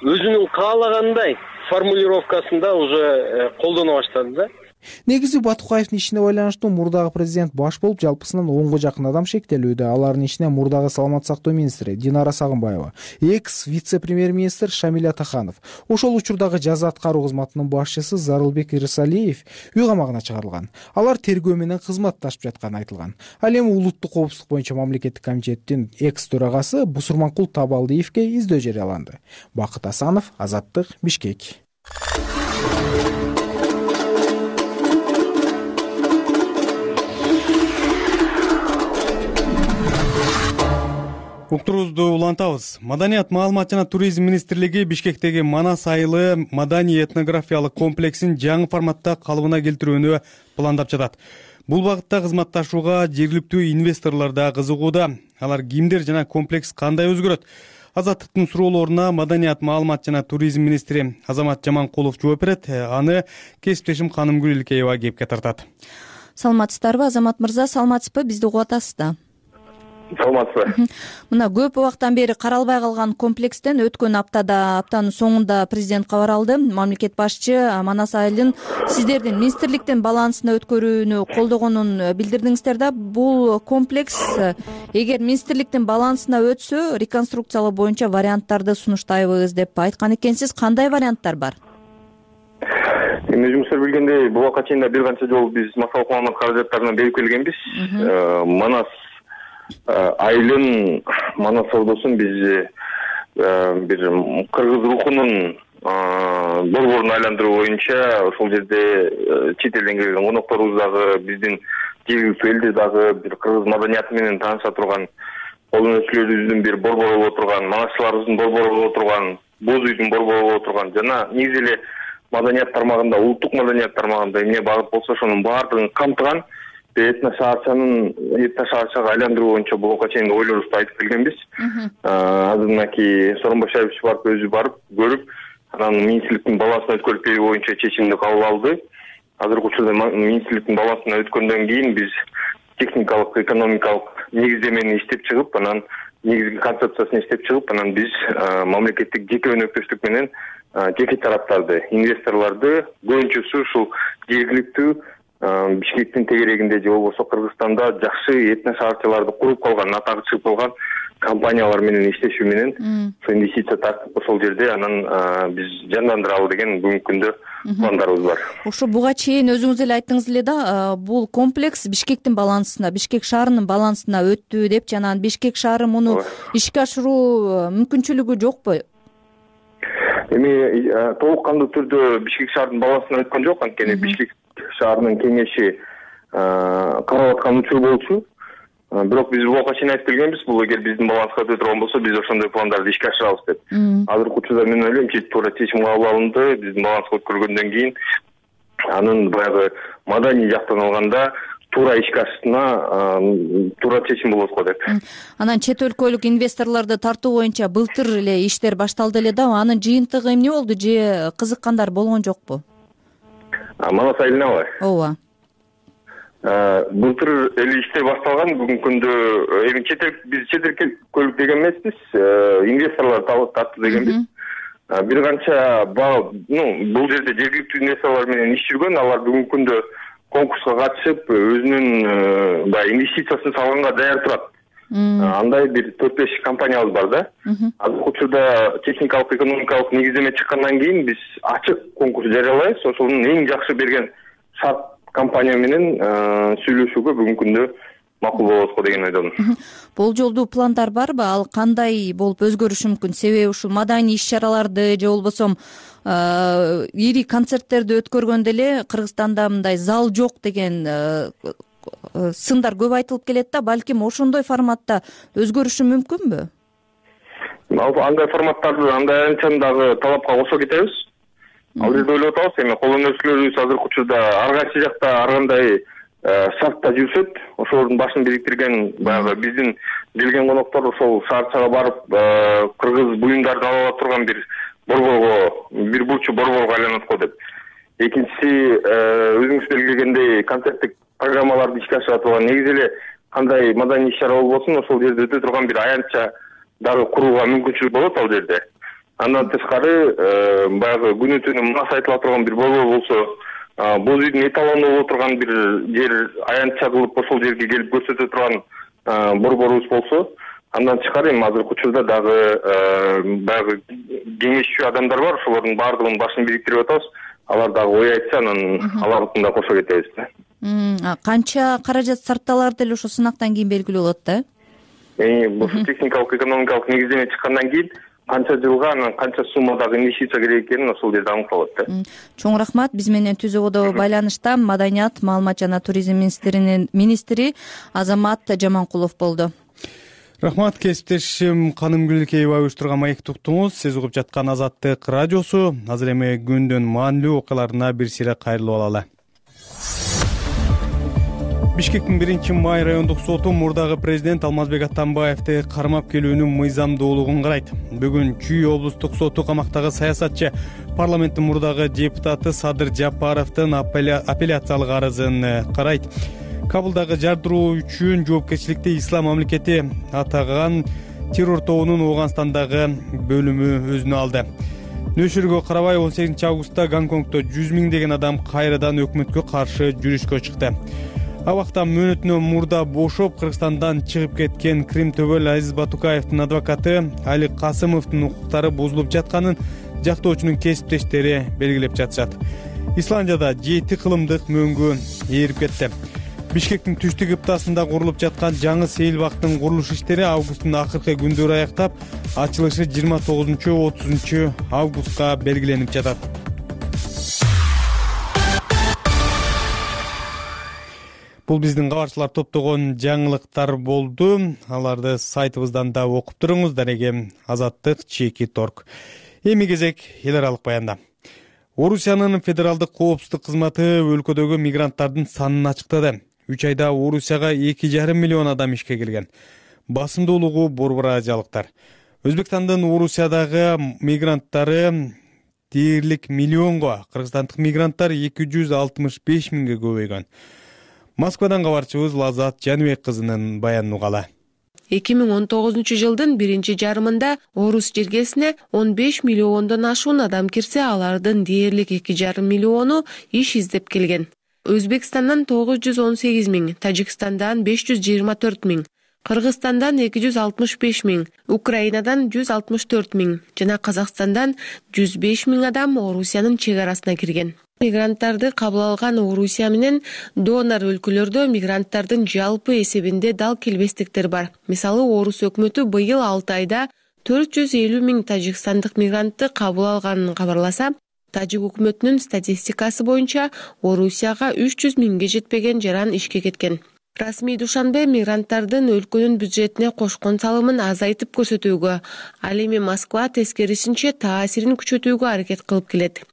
өзүнүн каалагандай формулировкасында уже колдоно баштады да. Негизи Батукаевдин ишине байланыштуу мурдагы президент баш болуп жалпысынан онго жакын адам шектелүүдө. Алардын ичине мурдагы саламаттык сактоо министри Динара Сагынбаева, экс вице-премьер-министр Шамиль Атаханов, ошол учурдагы жаза аткаруу кызматынын башчысы Зарылбек Ирсалиев үй камагына чыгарылган. Алар тергөө менен кызматташып жатканы айтылган. Ал эми улуттук коопсуздук боюнча мамлекеттик комитеттин экс төрагасы Бусурманкул Табалдиевге издөө жарыяланды. Бакыт Асанов, Азаттык, Бишкек. Уктуруубузду улантабыз. Маданият, маалымат жана туризм министрлиги Бишкектеги Манас айылы маданий этнографиялык комплексин жаңы форматта калыбына келтирүүнү пландап жатат. Бул багытта кызматташууга жергиликтүү инвесторлор да кызыгууда. Алар кимдер жана комплекс кандай өзгөрөт? Азаттыктын суроолоруна маданият, маалымат жана туризм министри Азамат Жаманкулов жооп берет. Аны кесиптешим Канымгүл Илкеева кепке тартат. Саламатсыздарбы, Азамат мырза? Саламатсызбы? Бизди угуп атасыз да? Саламатсызбы. Мына көп убактан бери каралбай калган комплекстен өткөн аптада, аптанын соңунда президент кабар алды. Мамлекет башчы Манас айылын сиздердин министрликтин балансына өткөрүүнү колдогонун билдирдиңиздер да. Бул комплекс эгер министрликтин балансына өтсө, реконструкциялоо боюнча варианттарды сунуштайбыз деп айткан экенсиз. Кандай варианттар бар? Эми өзүңүздөр билгендей, бул убакка чейин да бир канча жолу биз массалык маалымат каражаттарына берип келгенбиз. Манас айылын, Манас саудосун биз бир кыргыз рухунун борборун айландыруу боюнча ошол жерде чет элден келген конокторубуз дагы, биздин жергиликтүү элдер дагы бир кыргыз маданияты менен тааныша турган, колдон өчүлөрүбүздүн бир борбору боло турган, манасчыларыбыздын борбору боло турган, боз үйдүн борбору боло турган жана негизи эле маданият тармагында, улуттук маданият тармагында эмне багыт болсо ошонун баардыгын камтыган этно шаарчанын этно шаарчага айландыруу боюнча бул убакка чейин ойлорубузду айтып келгенбиз. Азыр мынакей Сооронбай Шарипович барып өзү барып көрүп, анан министрликтин балансына өткөрүп берүү боюнча чечимди кабыл алды. Азыркы учурда министрликтин балансына өткөндөн кийин биз техникалык, экономикалык негиздемени иштеп чыгып, анан негизги концепциясын иштеп чыгып, анан биз мамлекеттик жеке өнөктөштүк менен жеке тараптарды, инвесторлорду көбүнчөсү ушул жергиликтүү Бишкектин тегерегинде же болбосо Кыргызстанда жакшы этно шаарчаларды куруп калган, атагы чыгып калган компаниялар менен иштешүү менен ошо инвестиция тартып ошол жерде анан биз жандандыралы деген бүгүнкү күндө пландарыбыз бар. Ошо буга чейин өзүңүз эле айттыңыз эле да, бул комплекс Бишкектин балансына, Бишкек шаарынын балансына өттү деп, жана Бишкек шаары муну ишке ашыруу мүмкүнчүлүгү жокпу? Эми толук кандуу түрдө Бишкек шаарынын балансына өткөн жок, анткени Бишкек шаарынын кеңеши карап аткан учур болчу. Бирок биз бул убакка чейин айтып келгенбиз, бул эгер биздин баланска өтө турган болсо, биз ошондой пландарды ишке ашырабыз деп. Азыркы учурда мен ойлойм, туура чечим кабыл алынды. Биздин баланска өткөргөндөн кийин анын баягы маданий жактан алганда туура ишке ашышына туура чечим болот го деп. Анан чет өлкөлүк инвесторлорду тартуу боюнча былтыр эле иштер башталды эле да, анын жыйынтыгы эмне болду же кызыккандар болгон жокпу? Манас айылынабы? Ооба. былтыр эле иштер башталган. Бүгүнкү күндө эми чет эл биз чет эл көлүк деген эмеспиз, инвесторлор тартты дегенбиз. Бир канча ну бул жерде жергиликтүү инвесторлор менен иш жүргөн. Алар бүгүнкү күндө конкурска катышып, өзүнүн баягы инвестициясын салганга даяр турат. Андай бир төрт беш компаниябыз бар да. Азыркы учурда техникалык экономикалык негиздеме чыккандан кийин биз ачык конкурс жарыялайбыз. Ошонун эң жакшы берген шарт компания менен сүйлөшүүгө бүгүнкү күндө макул болобузго деген ойдомун. Болжолдуу пландар барбы? Ал кандай болуп өзгөрүшү мүмкүн? Себеби ушул маданий иш-чараларды же болбосо ири концерттерди өткөргөндө эле Кыргызстанда мындай зал жок деген сындар көп айтылып келет да. Балким ошондой форматта өзгөрүшү мүмкүнбү? Андай форматтарды андай аянтчаны дагы талапка кошо кетебиз. Ал жерде ойлоп атабыз, эми кол өнөрчүлөрүбүз азыркы учурда ар кайсы жакта ар кандай шартта жүрсөт, ошолордун башын бириктирген баягы биздин келген коноктор ошол шаарчага барып кыргыз буюмдарын ала ала турган бир борборго, бир бурчу борборго айланат го деп. Экинчиси, өзүңүз белгилегендей концерттик программаларды ишке ашырып турган, негизи эле кандай маданий иш-чара болбосун, ошол жерде өтө турган бир аянтча дагы курууга мүмкүнчүлүк болот ал жерде. Андан тышкары баягы күнү түнү мас айтыла турган бир борбор болсо, боз үйдүн эталону боло турган бир жер аянтча кылып ошол жерге келип көрсөтө турган борборубуз болсо, андан тышкары эми азыркы учурда дагы баягы кеңешчү адамдар бар, ошолордун баардыгынын башын бириктирип атабыз. Алар дагы ой айтса, анан алардын да кошо кетебиз да. Канча каражат сарпталар деле ошо сынактан кийин белгилүү болот да? Эми бул техникалык экономикалык негиздеме чыккандан кийин канча жылга, анан канча суммадагы инвестиция керек экенин ошол жерде аныкталат да. Чоң рахмат. Биз менен түз ободо байланышта Маданият, маалымат жана туризм министринин министри Азамат Жаманкулов болду. Рахмат, кесиптешим Канымгүл Кеева уюштурган маекти уктуңуз. Сиз угуп жаткан Азаттык радиосу. Азыр эми күндүн маанилүү окуяларына бир сире кайрылып алалы. Бишкектин биринчи май райондук соту мурдагы президент Алмазбек Атамбаевди кармап келүүнүн мыйзамдуулугун карайт. Бүгүн Чүй облустук соту камактагы саясатчы парламенттин мурдагы депутаты Садыр Жапаровдун апелляциялык арызын карайт. Кабылдагы жардыруу үчүн жоопкерчиликти Ислам мамлекети атаган террор тобунун Ооганстандагы бөлүмү өзүнө алды. Нөшүргө карабай он сегизинчи августта Гонконгдо жүз миңдеген адам кайрадан өкмөткө каршы жүрүшкө чыкты. Абакта мөөнөтүнөн мурда бошоп Кыргызстандан чыгып кеткен Крим төбөл Азиз Батукаевдин адвокаты Али Касымовдун укуктары бузулуп жатканын жактоочунун кесиптештери белгилеп жатышат. Исландияда жети кылымдык мөөнгө ээрип кетти. Бишкектин түштүк ыптасында курулуп жаткан жаңы сейил бактын курулуш иштери августтун акыркы күндөрү аяктап, ачылышы жыйырма тогузунчу отузунчу августка белгиленип жатат. Бул биздин кабарчылар топтогон жаңылыктар болду. Аларды сайтыбыздан да окуп туруңуз. Дареге Азаттык чекит точка орг. Эми кезек эл аралык баянда. Орусиянын федералдык коопсуздук кызматы өлкөдөгү мигранттардын санын ачыктады. үч айда Орусияга эки жарым миллион адам ишке келген. Басымдуулугу борбор азиялыктар. Өзбекстандын Орусиядагы мигранттары дээрлик миллионго, кыргызстандык мигранттар эки жүз алтымыш беш миңге көбөйгөн. Москвадан кабарчыбыз Лазат Жаныбек кызынын баянын угалы. эки миң он тогузунчу жылдын биринчи жарымында Орус жергесине он беш миллиондон ашуун адам кирсе, алардын дээрлик эки жарым миллиону иш издеп келген. Өзбекстандан тогуз жүз он сегиз миң, Тажикстандан беш жүз жыйырма төрт миң, Кыргызстандан эки жүз алтымыш беш миң, Украинадан жүз алтымыш төрт миң жана Казакстандан жүз беш миң адам Орусиянын чек арасына кирген. Мигранттарды кабыл алган Орусия менен донор өлкөлөрдө мигранттардын жалпы эсебинде дал келбестиктер бар. Мисалы, Орус өкмөтү быйыл алты айда төрт жүз элүү миң тажикстандык мигрантты кабыл алганын кабарласа, Тажик өкмөтүнүн статистикасы боюнча Орусияга үч жүз миңге жетпеген жаран ишке кеткен. Расмий Душанбе мигранттардын өлкөнүн бюджетине кошкон салымын азайтып көрсөтүүгө, ал эми Москва тескерисинче таасирин күчөтүүгө аракет кылып келет.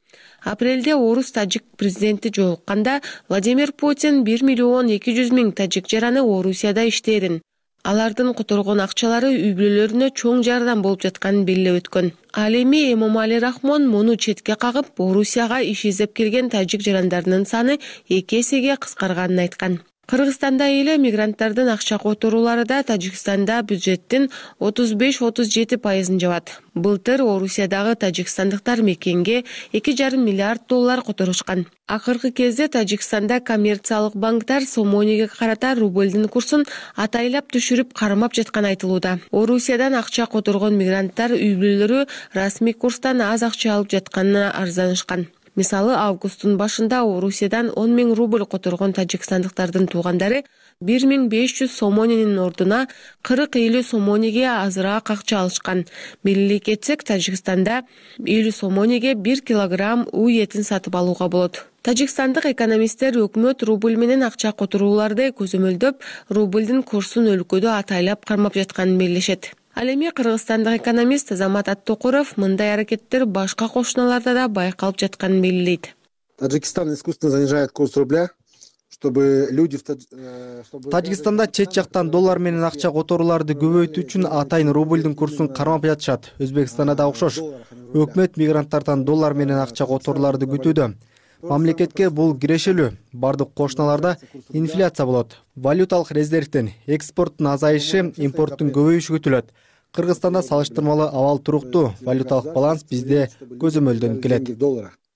Апрелде Орус-Тажик президенти жолукканда Владимир Путин бир миллион эки жүз миң тажик жараны Орусияда иштээрин, алардын которгон акчалары үй бүлөлөрүнө чоң жардам болуп жатканын белгилеп өткөн. Ал эми Эмомали Рахмон муну четке кагып, Орусияга иш издеп келген тажик жарандарынын саны эки эсеге кыскарганын айткан. Кыргызстанда эле мигранттардын акча которуулары да Тажикстанда бюджеттин отуз беш отуз жети пайызын жабат. Былтыр Орусиядагы тажикстандыктар мекенге эки жарым миллиард доллар которушкан. Акыркы кезде Тажикстанда коммерциялык банктар сомонеге карата рублдин курсун атайлап түшүрүп кармап жатканы айтылууда. Орусиядан акча которгон мигранттар үй бүлөлөрү расмий курстан аз акча алып жатканына арызданышкан. Мисалы, августтун башында Орусиядан он миң рубль которгон тажикстандыктардын туугандары бир миң беш жүз сомоненин ордуна кырк элүү сомонеге азыраак акча алышкан. Белгилей кетсек, Тажикстанда элүү сомонеге бир килограмм уй этин сатып алууга болот. Тажикстандык экономисттер өкмөт рубль менен акча которууларды көзөмөлдөп, рублдин курсун өлкөдө атайлап кармап жатканын белгилешет. Ал эми кыргызстандык экономист Азамат Аттокуров мындай аракеттер башка кошуналарда да байкалып жатканын белгилейт. Таджикистан искусственно занижает курс рубля, чтобы люди в Тажикстанда чет жактан доллар менен акча которууларды көбөйтүү үчүн атайын рублдин курсун кармап жатышат. Өзбекстанда да окшош. Өкмөт мигранттардан доллар менен акча которууларды күтүүдө. Мамлекетке бул кирешелүү. Бардык кошуналарда инфляция болот. Валюталык резервден экспорттун азайышы, импорттун көбөйүшү күтүлөт. Кыргызстанда салыштырмалуу абал туруктуу. Валюталык баланс бизде көзөмөлдөнүп келет.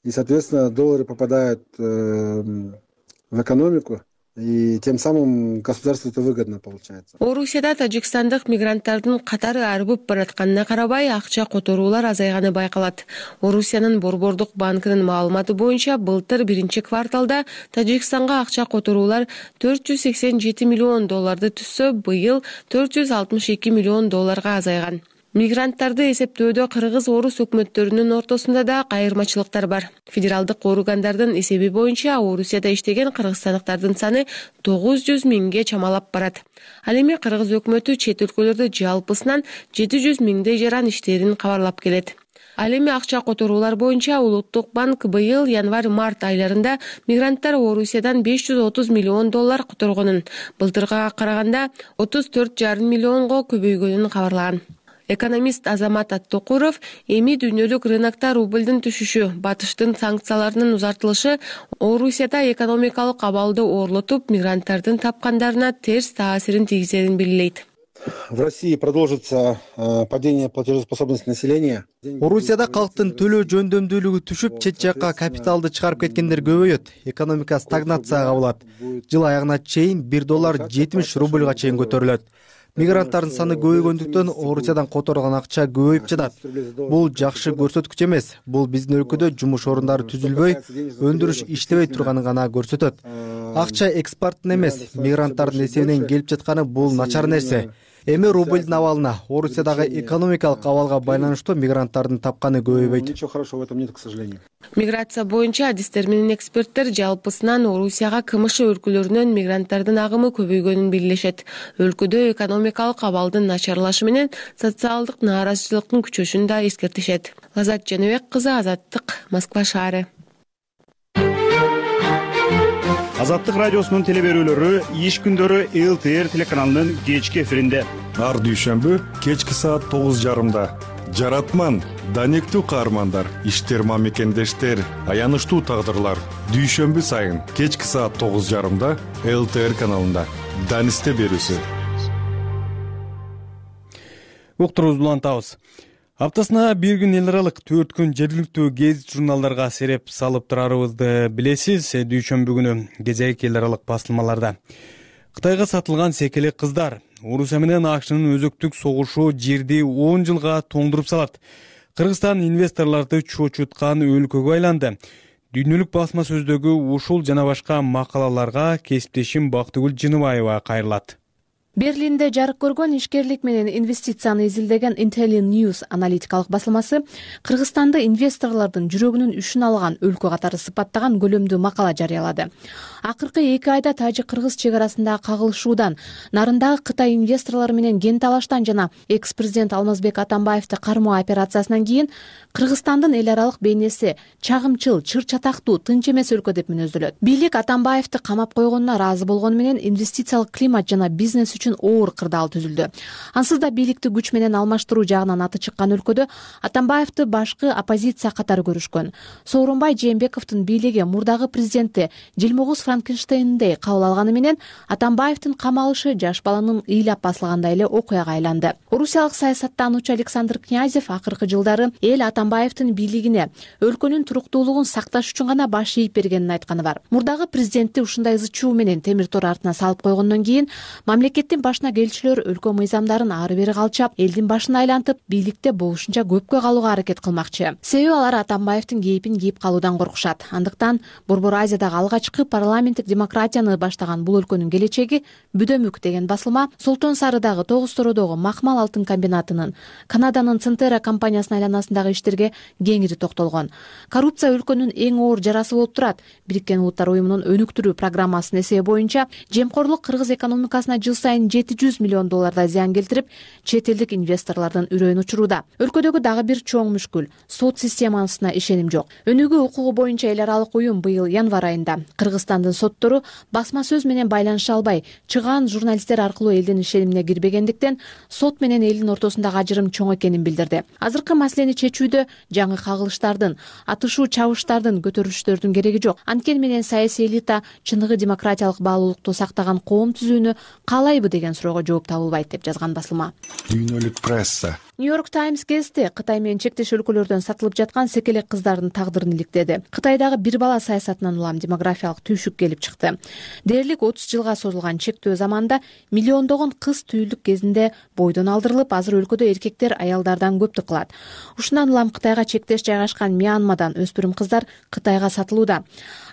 И, соответственно, доллары попадают в экономику, и тем самым государству это выгодно получается. Орусияда тажикстандык мигранттардын катары арбып баратканына карабай акча которуулар азайганы байкалат. Орусиянын Борбордук банкынын маалыматы боюнча былтыр биринчи кварталда Тажикстанга акча которуулар төрт жүз сексен жети миллион долларды түзсө, быйыл төрт жүз алтымыш эки миллион долларга азайган. Мигранттарды эсептөөдө кыргыз-орус өкмөттөрүнүн ортосунда да кайырмачылыктар бар. Федералдык органдардын эсеби боюнча Орусияда иштеген кыргызстандыктардын саны тогуз жүз миңге чамалап барат. Ал эми кыргыз өкмөтү чет өлкөлөрдө жалпысынан жети жүз миңдей жаран иштерин кабарлап келет. Ал эми акча которуулар боюнча Улуттук банк быйыл январь-март айларында мигранттар Орусиядан беш жүз отуз миллион доллар которгонун, былтырга караганда отуз төрт жарым миллионго көбөйгөнүн кабарлаган. Экономист Азамат Аттокуров эми дүйнөлүк рынокто рублдин түшүшү, батыштын санкцияларынын узартылышы Орусияда экономикалык абалды ooрлотуп, мигранттардын тапкандарына терс таасирин тийгизерин белгилейт. В России продолжится падение платежеспособности населения. Орусияда калктын төлөө жөндөмдүүлүгү түшүп, чет жакка капиталды чыгарып кеткендер көбөйөт. Экономика стагнацияга болот. Жыл аягына чейин бир доллар жетимиш рубльга чейин көтөрүлөт. Мигранттардын саны көбөйгөндүктөн Орусиядан которгон акча көбөйүп жатат. Бул жакшы көрсөткүч эмес. Бул биздин өлкөдө жумуш орундары түзүлбөй, өндүрүш иштебей турганын гана көрсөтөт. Акча экспорттун эмес, мигранттардын эсебинен келип жатканы бул начар нерсе. Эми рублдин абалына, Орусиядагы экономикалык абалга байланыштуу мигранттардын тапканы көбөйбөйт. Ничего хорошего в этом нет, к сожалению. Миграция боюнча адистер менен эксперттер жалпысынан Орусияга КМШ өлкөлөрүнөн мигранттардын агымы көбөйгөнүн белгилешет. Өлкөдө экономикалык абалдын начарлашы менен социалдык нааразычылыктын күчөшүн да эскертишет. Лазат Жаныбек кызы, Азаттык, Москва шаары. Азаттык радиосунун телеберүүлөрү иш күндөрү эл тэ эр телеканалынын кечки эфиринде. Ар дүйшөмбү кечки саат тогуз жарымда. Жаратман, данектүү каармандар, иштер мамекендештер, аянычтуу тагдырлар. Дүйшөмбү сайын кечки саат тогуз жарымда эл тэ эр каналында. Данисте берүүсү. Уктурубузду улантабыз. Аптасына бир күн эл аралык, төрт күн жергиликтүү гезит журналдарга сереп салып турарыбызды билесиз. Дүйшөмбү күнү кезек эл аралык басылмаларда. Кытайга сатылган секелек кыздар. Орусия менен АКШнын өзөктүк согушу жерди он жылга тоңдуруп салат. Кыргызстан инвесторлорду чочуткан өлкөгө айланды. Дүйнөлүк басма сөздөгү ушул жана башка макалаларга кесиптешим Бактыгүл Жыныбаева кайрылат. Берлинде жарык көргөн ишкерлик менен инвестицияны изилдеген Intelli News аналитикалык басылмасы Кыргызстанды инвесторлордун жүрөгүнүн үшүн алган өлкө катары сыпаттаган көлөмдүү макала жарыялады. Акыркы эки айда тажик-кыргыз чек арасындагы кагылышуудан, нарындагы Кытай инвесторлору менен кен талаштан жана экс-президент Алмазбек Атамбаевди кармоо операциясынан кийин Кыргызстандын эл аралык бейнеси чагымчыл, чыр-чатактуу, тынч эмес өлкө деп мүнөздөлөт. Бийлик Атамбаевди камап койгонуна ыраазы болгону менен инвестициялык климат жана бизнес үчүн оор кырдаал түзүлдү. Ансыз да бийликти күч менен алмаштыруу жагынан аты чыккан өлкөдө Атамбаевди башкы оппозиция катары көрүшкөн. Сооронбай Жээнбековдун бийлиги мурдагы президентти Жылмогуз Франкенштейндей кабыл алганы менен Атамбаевдин камалышы жаш баланын ыйлап басылгандай эле окуяга айланды. Орусиялык саясаттануучу Александр Князев акыркы жылдары эл Атамбаевдин бийлигине өлкөнүн туруктуулугун сакташ үчүн гана баш ийип бергенин айтканы бар. Мурдагы президентти ушундай ызы чуу менен темир тор артына салып койгондон кийин мамлекеттин башына келчүлөр өлкө мыйзамдарын ары бери калчап, элдин башын айлантып, бийликте болушунча көпкө калууга аракет кылмакчы. Себеби алар Атамбаевдин кейпин кийип калуудан коркушат. Андыктан Борбор Азиядагы алгачкы парламенттик демократияны баштаган бул өлкөнүн келечеги бүдөмүк деген басылма Солтон Сарыдагы тогуз тородогу Макмал алтын комбинатынын, Канаданын Центера компаниясынын айланасындагы иштерге кеңири токтолгон. Коррупция өлкөнүн эң оор жарасы болуп турат. Бириккен Улуттар уюмунун өнүктүрүү программасынын эсеби боюнча жемкорлук кыргыз экономикасына жыл сайын жети жүз миллион доллардай зыян келтирип, чет элдик инвесторлордун үрөйүн учуруда. Өлкөдөгү дагы бир чоң мүшкүл — сот системасына ишеним жок. Өнүгүү укугу боюнча эл аралык уюм быйыл январь айында Кыргызстандын соттору басма сөз менен байланыша албай, чыгаан журналисттер аркылуу элдин ишенимине кирбегендиктен сот менен элдин ортосундагы ажырым чоң экенин билдирди. Азыркы маселени чечүүдө жаңы кагылыштардын, атышуу чабыштардын, көтөрүлүштөрдүн кереги жок. Анткени менен саясий элита чыныгы демократиялык баалуулукту сактаган коом түзүүнү каалайбы деген суроого жооп табылбайт деп жазган басылма. Дүйнөлүк пресса. Нью-Йорк Таймс гезити Кытай менен чектеш өлкөлөрдөн сатылып жаткан секелек кыздардын тагдырын иликтеди. Кытайдагы бир бала саясатынан улам демографиялык түйшүк келип чыкты. Дээрлик отуз жылга созулган чектөө заманда миллиондогон кыз түйүлдүк кезинде бойдон алдырылып, азыр өлкөдө эркектер аялдардан көптү кылат. Ушундан улам Кытайга чектеш жайгашкан Мьянмадан өспүрүм кыздар Кытайга сатылууда.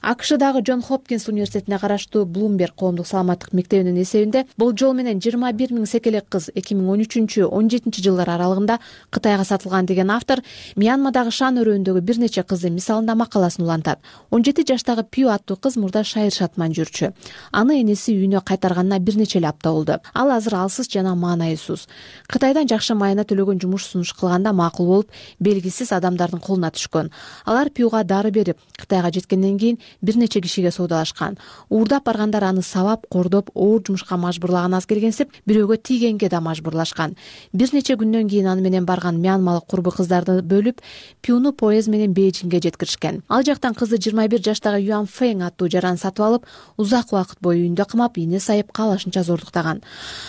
АКШдагы Джон Хопкинс университетине караштуу Блумберг коомдук саламаттык мектебинин эсебинде бул жол менен жыйырма бир миң секелек кыз эки миң он үчүнчү он жетинчи жылдар аралыгында Кытайга сатылган деген автор Мьянмадагы Шан өрөөндөгү бир нече кыздын мисалында макаласын улантат. он жети жаштагы Пью аттуу кыз мурда шайыр шатман жүрчү. Аны энеси үйүнө кайтарганына бир нече эле апта болду. Ал азыр алсыз жана маанайсыз. Кытайдан жакшы майына төлөгөн жумуш сунуш кылганда макул болуп, белгисиз адамдардын колуна түшкөн. Алар Пьюга дары берип, Кытайга жеткенден кийин бир нече кишиге соодалашкан. Уурдап баргандар аны сабап, кордоп, оор жумушка мажбурлаган аз келгенсип, бирөөгө тийгенге да мажбурлашкан. Бир нече күндөн кийин аны менен барган мьянмалык курбу кыздарды бөлүп, Пьюну поезд менен Бейжиңге жеткиришкен. Ал жактан кызды жыйырма бир жаштагы Юан Фэнг аттуу жаран сатып алып, узак убакыт бою үйүндө камап, ийне сайып каалашынча зордуктаган.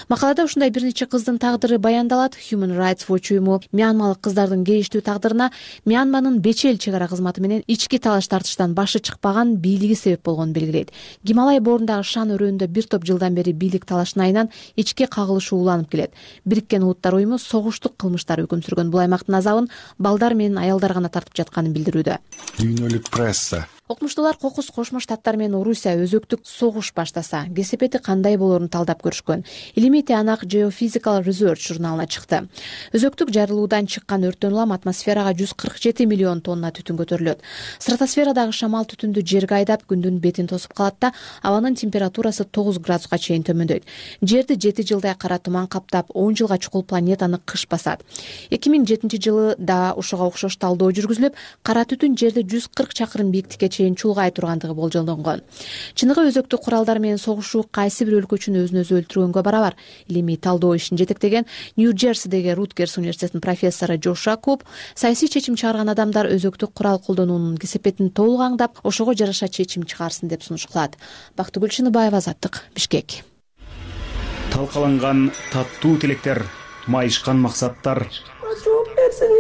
Макалада ушундай бир нече кыздын тагдыры баяндалат. Human Rights Watch уюму мьянмалык кыздардын кейиштүү тагдырына Мьянманын Бечел чек ара кызматы менен ички талаш тартыштан башы чыкпаган бийлиги себеп болгонун белгилейт. Гималай боорундагы Шан өрөөнүндө бир топ жылдан бери бийлик талашын айынан ички кагылышуу уланып келет. Бириккен Улуттар уюму согуштук кылмыштар өкүм сүргөн бул аймактын азабын балдар менен аялдар гана тартып жатканын билдирүүдө. Дүйнөлүк пресса. Окумуштуулар Кокус Кошмо Штаттар менен Орусия өзөктүк согуш баштаса, кесепети кандай болоорун талдап көрүшкөн. Илимий тыянак Geophysical Research журналына чыкты. Өзөктүк жарылуудан чыккан өрттөн улам атмосферага жүз кырк жети миллион тонна түтүн көтөрүлөт. Стратосферадагы шамал түтүндү жерге айдап, күндүн бетин тосуп калат да, абанын температурасы тогуз градуска чейин төмөндөйт. Жерди жети жылдай кара туман каптап, он жылга чукул планетаны кыш басат. эки миң жетинчи жылы да ушуга окшош талдоо жүргүзүлүп, кара түтүн жерди жүз кырк чакырым бийиктикке чулгай тургандыгы болжолдонгон. Чыныгы өзөктүк куралдар менен согушуу кайсы бир өлкө үчүн өзүн өзү өлтүргөнгө барабар. Илимий талдоо ишин жетектеген Нью-Джерсидеги Руткерс университетинин профессору Джоша Куб саясий чечим чыгарган адамдар өзөктүк курал колдонуунун кесепетин толук аңдап, ошого жараша чечим чыгарсын деп сунуш кылат. Бактыгүл Чыныбаева, Азаттык, Бишкек. Талкаланган таттуу тилектер, майышкан максаттар. Жооп берсин,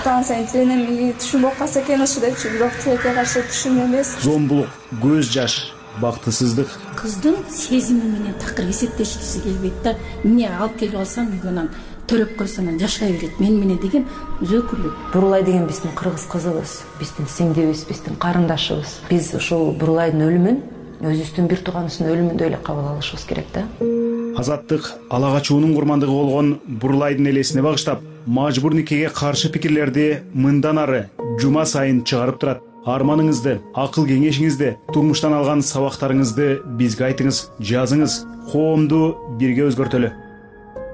Станция тенеми түшүнүп калса экен ушу депчи, бирок тилекке каршы түшүн эмес. Зомбулук, көз жаш, бактысыздык. Кыздын сезими менен такыр эсептешкиси келбейт да. Эмне алып келип алсам үйгөнөн төрөп койсом жашай берет мен менен деген өзөкүлүк. Бурулай деген биздин кыргыз кызыбыз, биздин сиңдибиз, биздин карындашыбыз. Биз ушул Бурулайдын өлүмүн өзүбүздүн бир тууганыбыздын өлүмүндөй эле кабыл алышыбыз керек да. Азаттык ала качуунун курмандыгы болгон Бурулайдын элесине багыштап, мажбур никеге каршы пикирлерди мындан ары жума сайын чыгарып турат. Арманыңызды, акыл кеңешиңизди, турмуштан алган сабактарыңызды бизге айтыңыз, жазыңыз. Коомду бирге өзгөртөлү.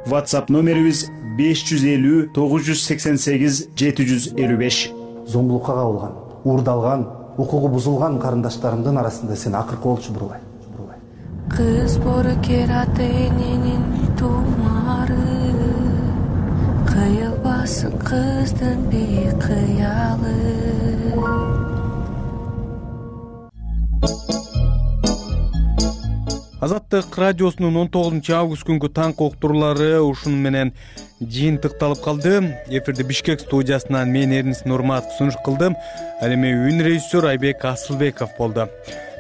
WhatsApp номерибиз беш жүз элүү тогуз жүз сексен сегиз жети жүз элүү беш. Зомбулукка кабылган, уурдалган, укугу бузулган карындаштарымдын арасында сен акыркы болчу Бурулай. Бурулай. кыз боркер ата эненин тумары, кыйылбасын кыздын бейкыялы. Азаттык радиосунун он тогузунчу август күнгү таңкы уктуруулары ушуну менен жыйынтыкталып калды. Эфирди Бишкек студиясынан мен Эрнис Нурматов сунуш кылдым. Ал эми үн режиссер Айбек Асылбеков болду.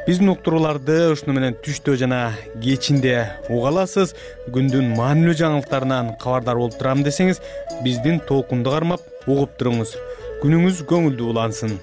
Биздин уктурууларды ушуну менен түштө жана кечинде уга аласыз. Күндүн маанилүү жаңылыктарынан кабардар болуп турам десеңиз, биздин толкунду кармап угуп туруңуз. Күнүңүз көңүлдүү улансын.